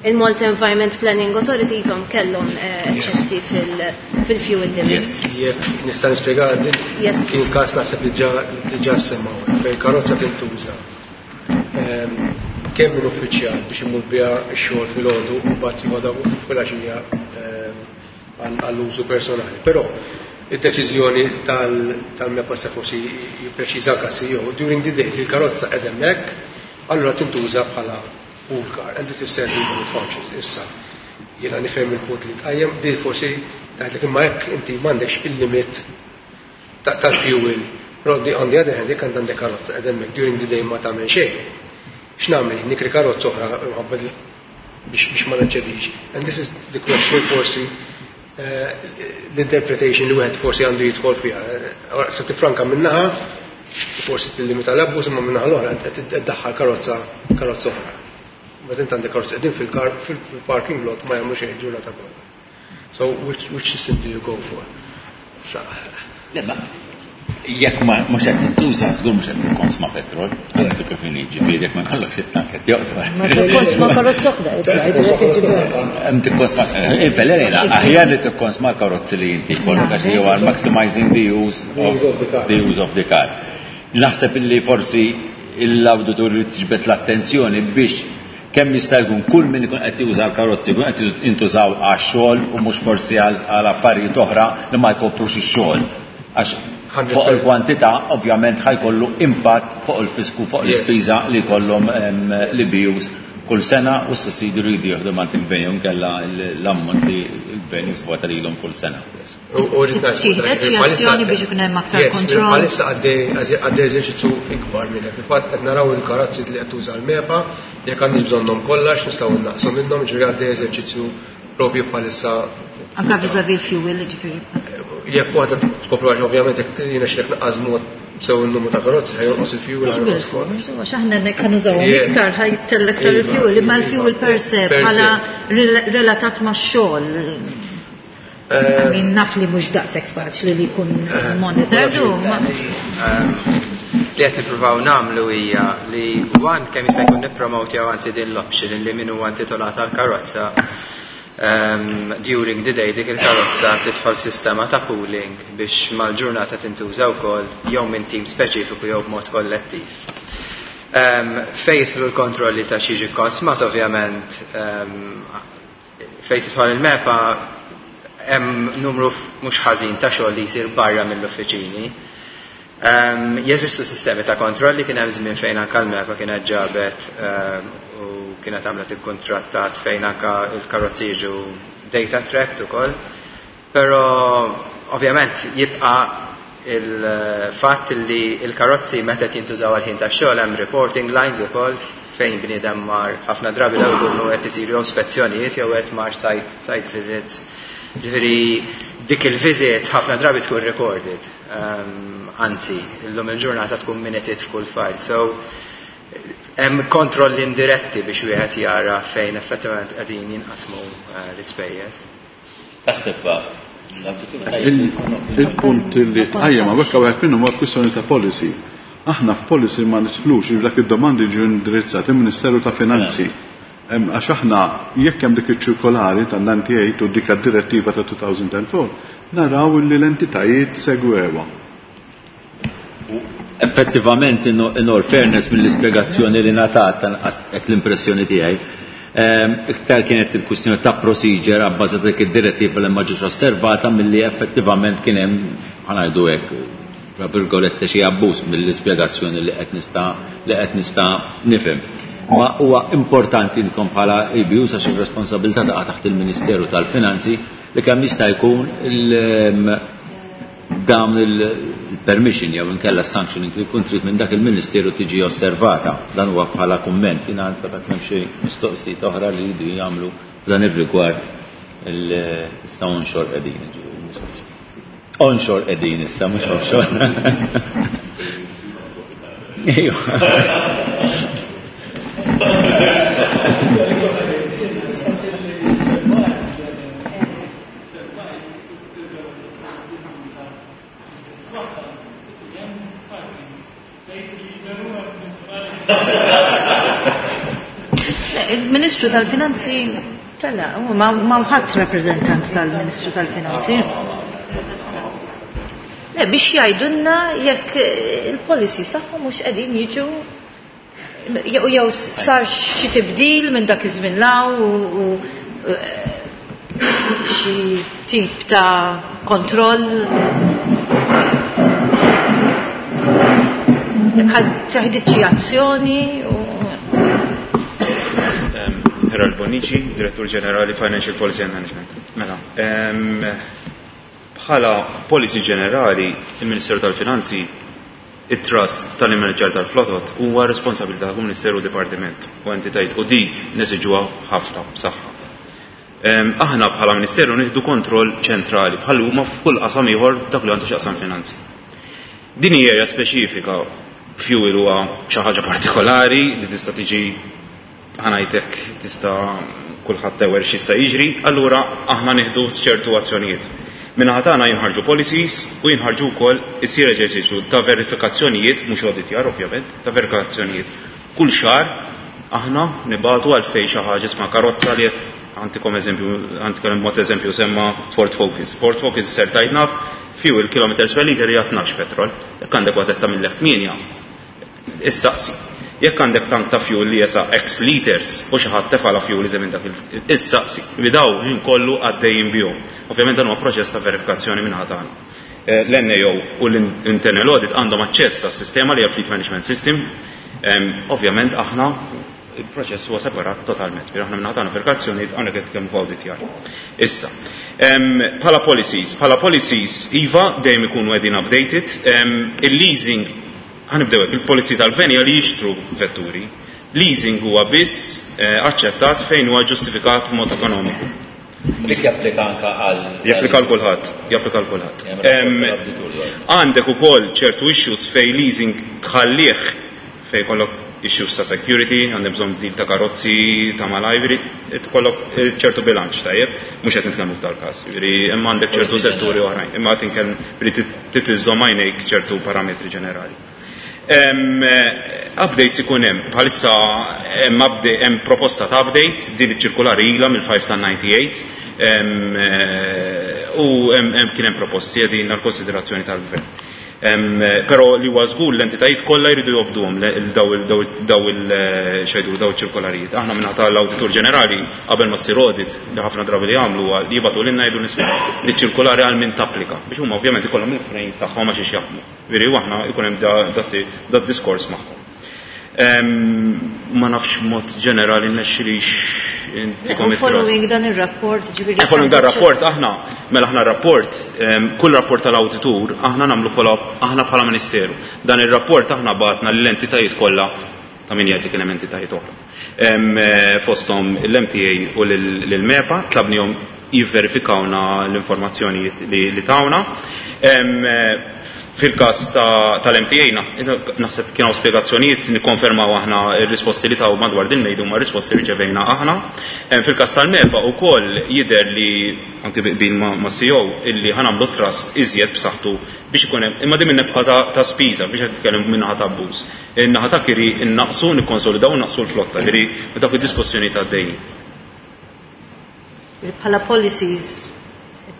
Il-Malta Environment Planning Authority ifhom kellhom eċċessi fil-fuel limits. Jekk nista' nispjega din. Yes. Kien każ naħseb li ġa li ġa semmaw fejn karozza tintuża ehm, kemm minn uffiċjal biex imur biha x-xogħol filgħodu u mbagħad jieħodha filgħaxija ehm, għall-użu personali. Però id-deċiżjoni tal-MEPA se forsi jippreċiża anke C E O, during the day il-karozza qed hemmhekk, allura tintuża bħala pool car and it is serving both functions. Issa, jiena nifhem il-punt li tqajjem, di forsi tgħidlek imma jekk inti m'għandekx il-limit tal-fuel, però on the other hand, jekk għandek karozza qed hemmhekk during the day ma tagħmel xejn. X'nagħmel? Nikri karozza oħra minħabba biex biex ma neċċedix. And this is the question forsi eh, l-interpretation li wieħed forsi għandu jidħol fiha. Eh, se tifranka minnaħa, forsi tillimita l-abbuż, imma minnaħa l-oħra qed iddaħħal karozza karozza oħra. Meta int għandek karozza qegħdin fil-parking lot ma jagħmlu xejn ġurnata kollha. So which, which system do you go for? Sa, Le, ma jekk ma mhux qed tintuża, żgur mhux qed tikkonsma petrol, għandu kif inhi, ġifieri jekk ma jkollokx it-tank qed joqtol. Ma tikkonsma karozza oħra, qed jgħidu. Hemm tikkonsma, infellera, aħjar li tikkonsma karozzi li inti jkollok għax you are maximizing the use of the use of the car. Naħseb illi forsi l-awditur li tiġbed l-attenzjoni biex kemm jista' jkun kull min ikun qed juża l-karozzi jkun qed jintużaw għax-xogħol u mhux forsi għal affarijiet oħra li ma jkoprux ix-xogħol. Għax fuq il-kwantità ovvjament ħa jkollu impatt fuq il-fisku, fuq l-ispiża li jkollhom l-E B Us kull sena u s-sussidju li jridu jieħdu minn il-gvern inkella l-ammont li l-gvern jisvota lilhom kull sena. U rrid ngħid Tieħdet xi azzjoni biex ikun hemm aktar kontroll? Bħalissa għaddej eżerċizzju ikbar minn hekk. Fil-fatt qed naraw il-karozzi li qed tuża l-MEPA, jekk għandix bżonnhom kollha nistgħu naqsu minnhom, ġifieri għaddej eżerċizzju propju bħalissa. Anka vis-à-vis fuel, ġifieri. Jekk waħda tkopru, għax ovvjament jekk jiena x'jekk naqqas mod sew il-numru ta' karozzi, ħa jonqos il-fuel, ħa jonqos kollox. Għax aħna nek nużawhom iktar, ħa jittella iktar il-fuel, imma l-fuel per se bħala relatat ma' xogħol. Min naf li mhux daqshekk faċli li jkun monitored. Li qed nippruvaw nagħmlu hija li one kemm jista' jkun nippromotjaw anzi din l-option li min huwa intitolat għal karozza um, during the day dik il-karozza tidħol f'sistema ta' pooling biex mal-ġurnata tintuża wkoll jew minn tim speċifiku jew b'mod kollettiv. Um, Fejn jidħlu l-kontrolli ta' x'jiġi konsmat, ovvjament um, fejn tidħol il-MEPA hemm numru mhux ħażin ta' xogħol li jsir barra mill-uffiċini. Um, jeżistu sistemi ta' kontrolli, kien hemm żmien fejn anke l-MEPA kienet ġabet um, u kienet għamlet ikkuntrattat fejn anke il-karozzi jiġu data tracked ukoll. Però ovvjament jibqa' il-fatt li il-karozzi meta jintużaw għal ħin ta' xogħol hemm reporting lines ukoll fejn bniedem mar, ħafna drabi daw ikunu qed isiru jew spezzjonijiet jew qed mar site, site visits. Ġifieri dik il-visit ħafna drabi tkun recorded. Um, anzi, illum il-ġurnata tkun minuted f'kull file. So hemm kontrolli indiretti biex wieħed jara fejn effettivament qegħdin jinqasmu uh, l-ispejjeż. Taħseb Il-punt li tqajjem hawnhekk hawnhekk minnu huwa kwistjoni ta' policy. Aħna f'policy ma nidħlux, dak id-domandi ġew indirizzati il-Ministeru ta' Finanzi. Għax aħna jekk hemm dik iċ-ċirkolari tan-disgħa u tmenin u dik direttiva ta' elfejn u erbgħa, naraw li l-entitajiet segwewa. Effettivament, in all fairness, mill-ispjegazzjoni li ngħatat, tanqas hekk l-impressjoni tiegħi, iktar kienet il-kwistjoni ta' procedure abbażata dik id-direttiva li ma ġietx osservata milli effettivament kien hemm, ħa ngħidu hekk, tra virgolette, xi abbuż mill-ispjegazzjoni li qed nista' li qed nista' nifhem. Ma huwa importanti inkom bħala E B U, għax ir-responsabilità taqa' taħt il-Ministeru tal-Finanzi, li kemm jista' jkun dawn il-permission jew inkella sanctioning li jkun trid minn dak il-Ministeru tiġi osservata. Dan huwa bħala kumment, jiena dak m'hemm xi mistoqsijiet oħra li jridu jagħmlu f'dan ir-rigward issa onshore qegħdin, ġifieri mhux offshore. Onshore qegħdin issa mhux offshore. Ejwa. Il-Ministru tal-Finanzi tela, ma ħadd rappreżentant tal-Ministru tal-Finanzi. Le, biex jgħidulna jekk il-policy saħħu mhux qegħdin jiġu jew jew sar xi tibdil minn dak iż-żmien law u xi tip ta' kontroll. Jekk ħadd teħdit xi azzjoni u Gerald Bonnici, Direttur Ġenerali Financial Policy and Management. Mela, bħala policy ġenerali, il-Ministeru tal-Finanzi, it-trust tal-immanager tal-flotot huwa responsabilità ta' Ministeru Dipartiment u entitajiet u dik nesiġuha ħafna b'saħħa. Aħna bħala Ministeru nieħdu kontroll ċentrali bħal huma f'kull qasam ieħor dak li għandu x'jaqsam finanzi. Din hija area speċifika, fuel huwa xi ħaġa partikolari li tista' tiġi ħanajtek tista' kulħadd tewer x'jista' jiġri, allura aħna nieħdu ċertu azzjonijiet. Min-naħa tagħna jinħarġu policies u jinħarġu wkoll isir eżerċizzju ta' verifikazzjonijiet, mhux auditjar ovvjament, ta' verifikazzjonijiet. Kull xahar aħna nibatu għal fejn xi ħaġa isma' karozza li għantikom eżempju, għantikom mod eżempju semma Ford Focus. Ford Focus ser tajt naf fuel kilometers per liter hija tnax petrol. Jekk għandek waħda ta' mill tmienja, issaqsi. Jekk għandek tank ta' fuel li jesa X liters u xi ħadd tefala fuel iżem minn dak il-saqsi. Bidaw ħin kollu għaddejjin bihom. Ovvjament dan huwa proċess ta' verifikazzjoni minn tagħna. L-N A O u l-Internal Audit għandhom aċċess għas-sistema li hija Fleet Management System. Ovvjament aħna il-proċess huwa separat totalment. Pero aħna minn tagħna verifikazzjoni hawnhekk qed nitkellmu fuq auditjar. Issa, bħala policies, bħala policies iva dejjem ikunu qegħdin updated, il-leasing ħanibdew hekk, il-policy tal-gvern hija li jixtru vetturi. Leasing huwa biss aċċettat fejn huwa ġustifikat b'mod ekonomiku. Dik japplika anka għal Japplika għal kulħadd, japplika għal kulħadd. Għandek ukoll ċertu issues fejn leasing tħallih fejn kollok issues ta' security, għandek bżonn deal ta' karozzi, ta' malajr, tkollok ċertu bilanċ, tajjeb, mhux qed nitkellmu f'dal-każ, jiġifieri imma għandek ċertu setturi oħrajn, imma qed inkellem li titiżżomm għajnejk ċertu parametri ġenerali. Em, updates ikun hemm, bħalissa hemm update, hemm proposta ta' update, din iċ-ċirkulari ilha mill-five ta' ninety-eight, em, u hemm, hemm kien hemm proposti qegħdin għall-konsiderazzjoni tal-gvern. Em, però li huwa żgur l-entitajiet kollha jridu jobduhom daw il-, daw il-, daw il-, xejdu, daw iċ-ċirkolarijiet. Aħna minn tal-Awditur Ġenerali qabel ma ssir audit li ħafna drabi li jagħmlu huwa li jibgħatu lilna jgħidu nisma' li ċ-ċirkolari għal min tapplika biex huma ovvjament ikollhom il-frame tagħhom għax jaħdmu. Veri u aħna jkun hemm da-, da-, da diskors magħhom. Em, ma nafx mod ġenerali nexxilix intikom Le, it-trust. Following dan ir-rapport, ġifieri Eh, following dan rapport, aħna, mela aħna rapport, em, kull rapport tal-awditur, aħna nagħmlu follow-up, aħna bħala Ministeru. Dan ir-rapport aħna batna lill-entitajiet kollha ta' min jgħid li kien hemm entitajiet oħra. Em, eh, fosthom l-M T A u lill-MEPA, tlabnihom jivverifikawna l-informazzjonijiet li, li tawna. Em, eh, fil-każ ta-, tal-M T A na-, naħseb kienu spjegazzjonijiet nikkonfermaw aħna r-risposti li taw madwar din mejdu ma' risposti li riċevejna aħna. Em, fil-każ tal-MEPA wkoll jidher li anki bi qbil ma-, ma' C E O illi ħanamlu trust iżjed b'saħħtu biex ikun hemm, imma din min-nefqa ta', ta' spiża biex qed nitkellem min-naħa ta' abbuż. In-naħa ta' kiri innaqsu, nikkonsolidaw, naqsu l-flotta, ġifieri dak id-diskussjoni ta' dejjem. Bħala policies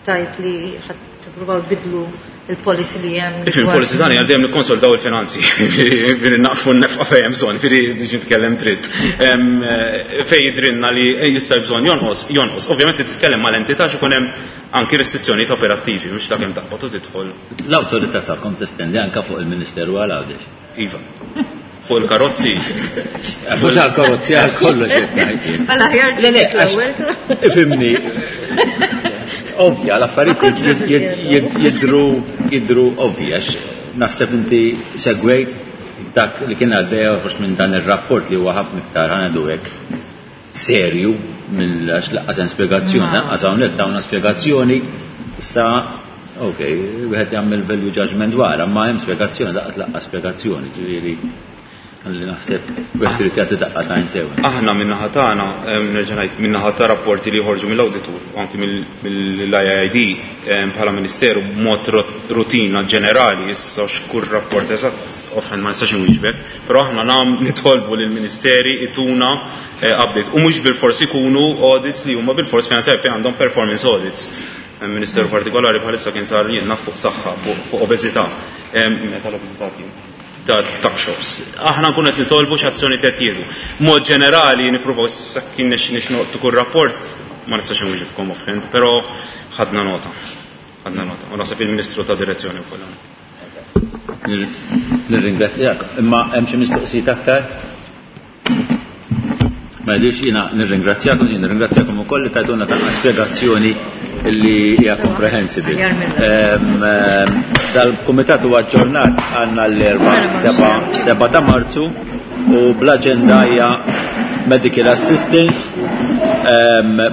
tajt li ħadd tippruvaw tbidlu il-policy li hemm Ifhem, il-policy tagħna għal dejjem nikkonsolidaw il-finanzi. Ġifieri naqfu n-nefqa fejn hemm bżonn, ġifieri biex nitkellem dritt. Em, eh, fejn jidrinna li jista' bżonn jonqos, jonqos. Ovvjament titkellem mal-entità x'ikun hemm anki restrizzjonijiet operattivi, mhux ta' kemm taqbad u tidħol. L-awtorità tagħkom testendi anke fuq il-Ministeru għal Għawdex. Iva. Fuq il-karozzi. Fuq il-karozzi għal kollox qed ngħid jien. Mela ħjar Le, le, ġiet l-ewwel. Ifhimni. Ovvja, l-affarijiet Ma kontx jid-, jid-, nifhem. jid-, jidru jidhru ovvji għax naħseb inti segwejt dak li kien għaddej joħroġ minn dan ir-rapport li huwa ħafna iktar ħa ngħidu hekk serju mill għax lanqas hemm spjegazzjoni, lanqas hawnhekk tawna spjegazzjoni issa ok, wieħed jagħmel value judgment dwar, ma hemm spjegazzjoni, lanqas lanqas spjegazzjoni, ġifieri li naħseb wieħed irid jagħti daqqa t'għajn sew. Aħna min-naħa tagħna, nerġa' ngħid, min-naħa ta' rapporti li joħorġu mill-awditur u anki mill-I I D bħala Ministeru b'mod rutina ġenerali, issa x'kull rapport eżatt offhand ma nistax inwieġbek, però aħna nam nitolbu lill-Ministeri ituna update u mhux bilfors ikunu audits li huma bilfors finanzjari fejn għandhom performance audits. Ministeru partikolari bħalissa kien sar jien naf fuq saħħa, fuq obeżità. Meta l-obeżità kien ta' tuck shops. Aħna nkunu qed nitolbu x'azzjoni qed jieħdu. Mod ġenerali nippruvaw issa kien nix nix noqtu kull rapport ma nistax inwieġibkom offhand, però ħadna nota. Ħadna nota. U naħseb il-Ministru ta' direzzjoni wkoll. Nirringrazzjak. Imma hemm xi mistoqsijiet aktar? Ma jidhirx. Jiena nirringrazzjakom, jien nirringrazzjakom ukoll li tajtuna ta' spjegazzjoni li hija komprehensive. Dal-kumitat huwa aġġornat għandna l-erba' seba' ta' Marzu u bl-aġenda hija Medical Assistance,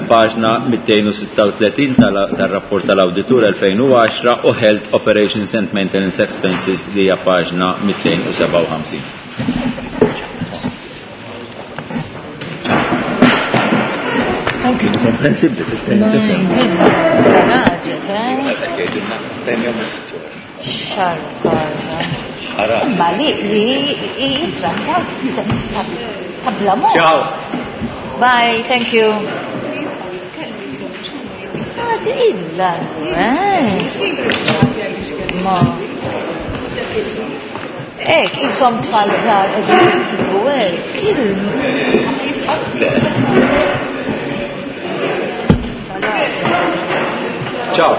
paġna mitejn u sitta u tletin tal-rapport tal-Awditur elfejn u għaxra, u Health Operations and Maintenance Expenses li hija paġna mitejn u sebgħa u ħamsin. Anki komprensibli tifhem tifhem. Xarkaza. Ma li li jitrattaw ta' bla mod. Ciao. Bye, thank you. Ah, illa, eh. Ma. Ek, jisom tfal żgħar qegħdin jiktbu hekk. Kil. Ciao.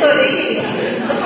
Sorry.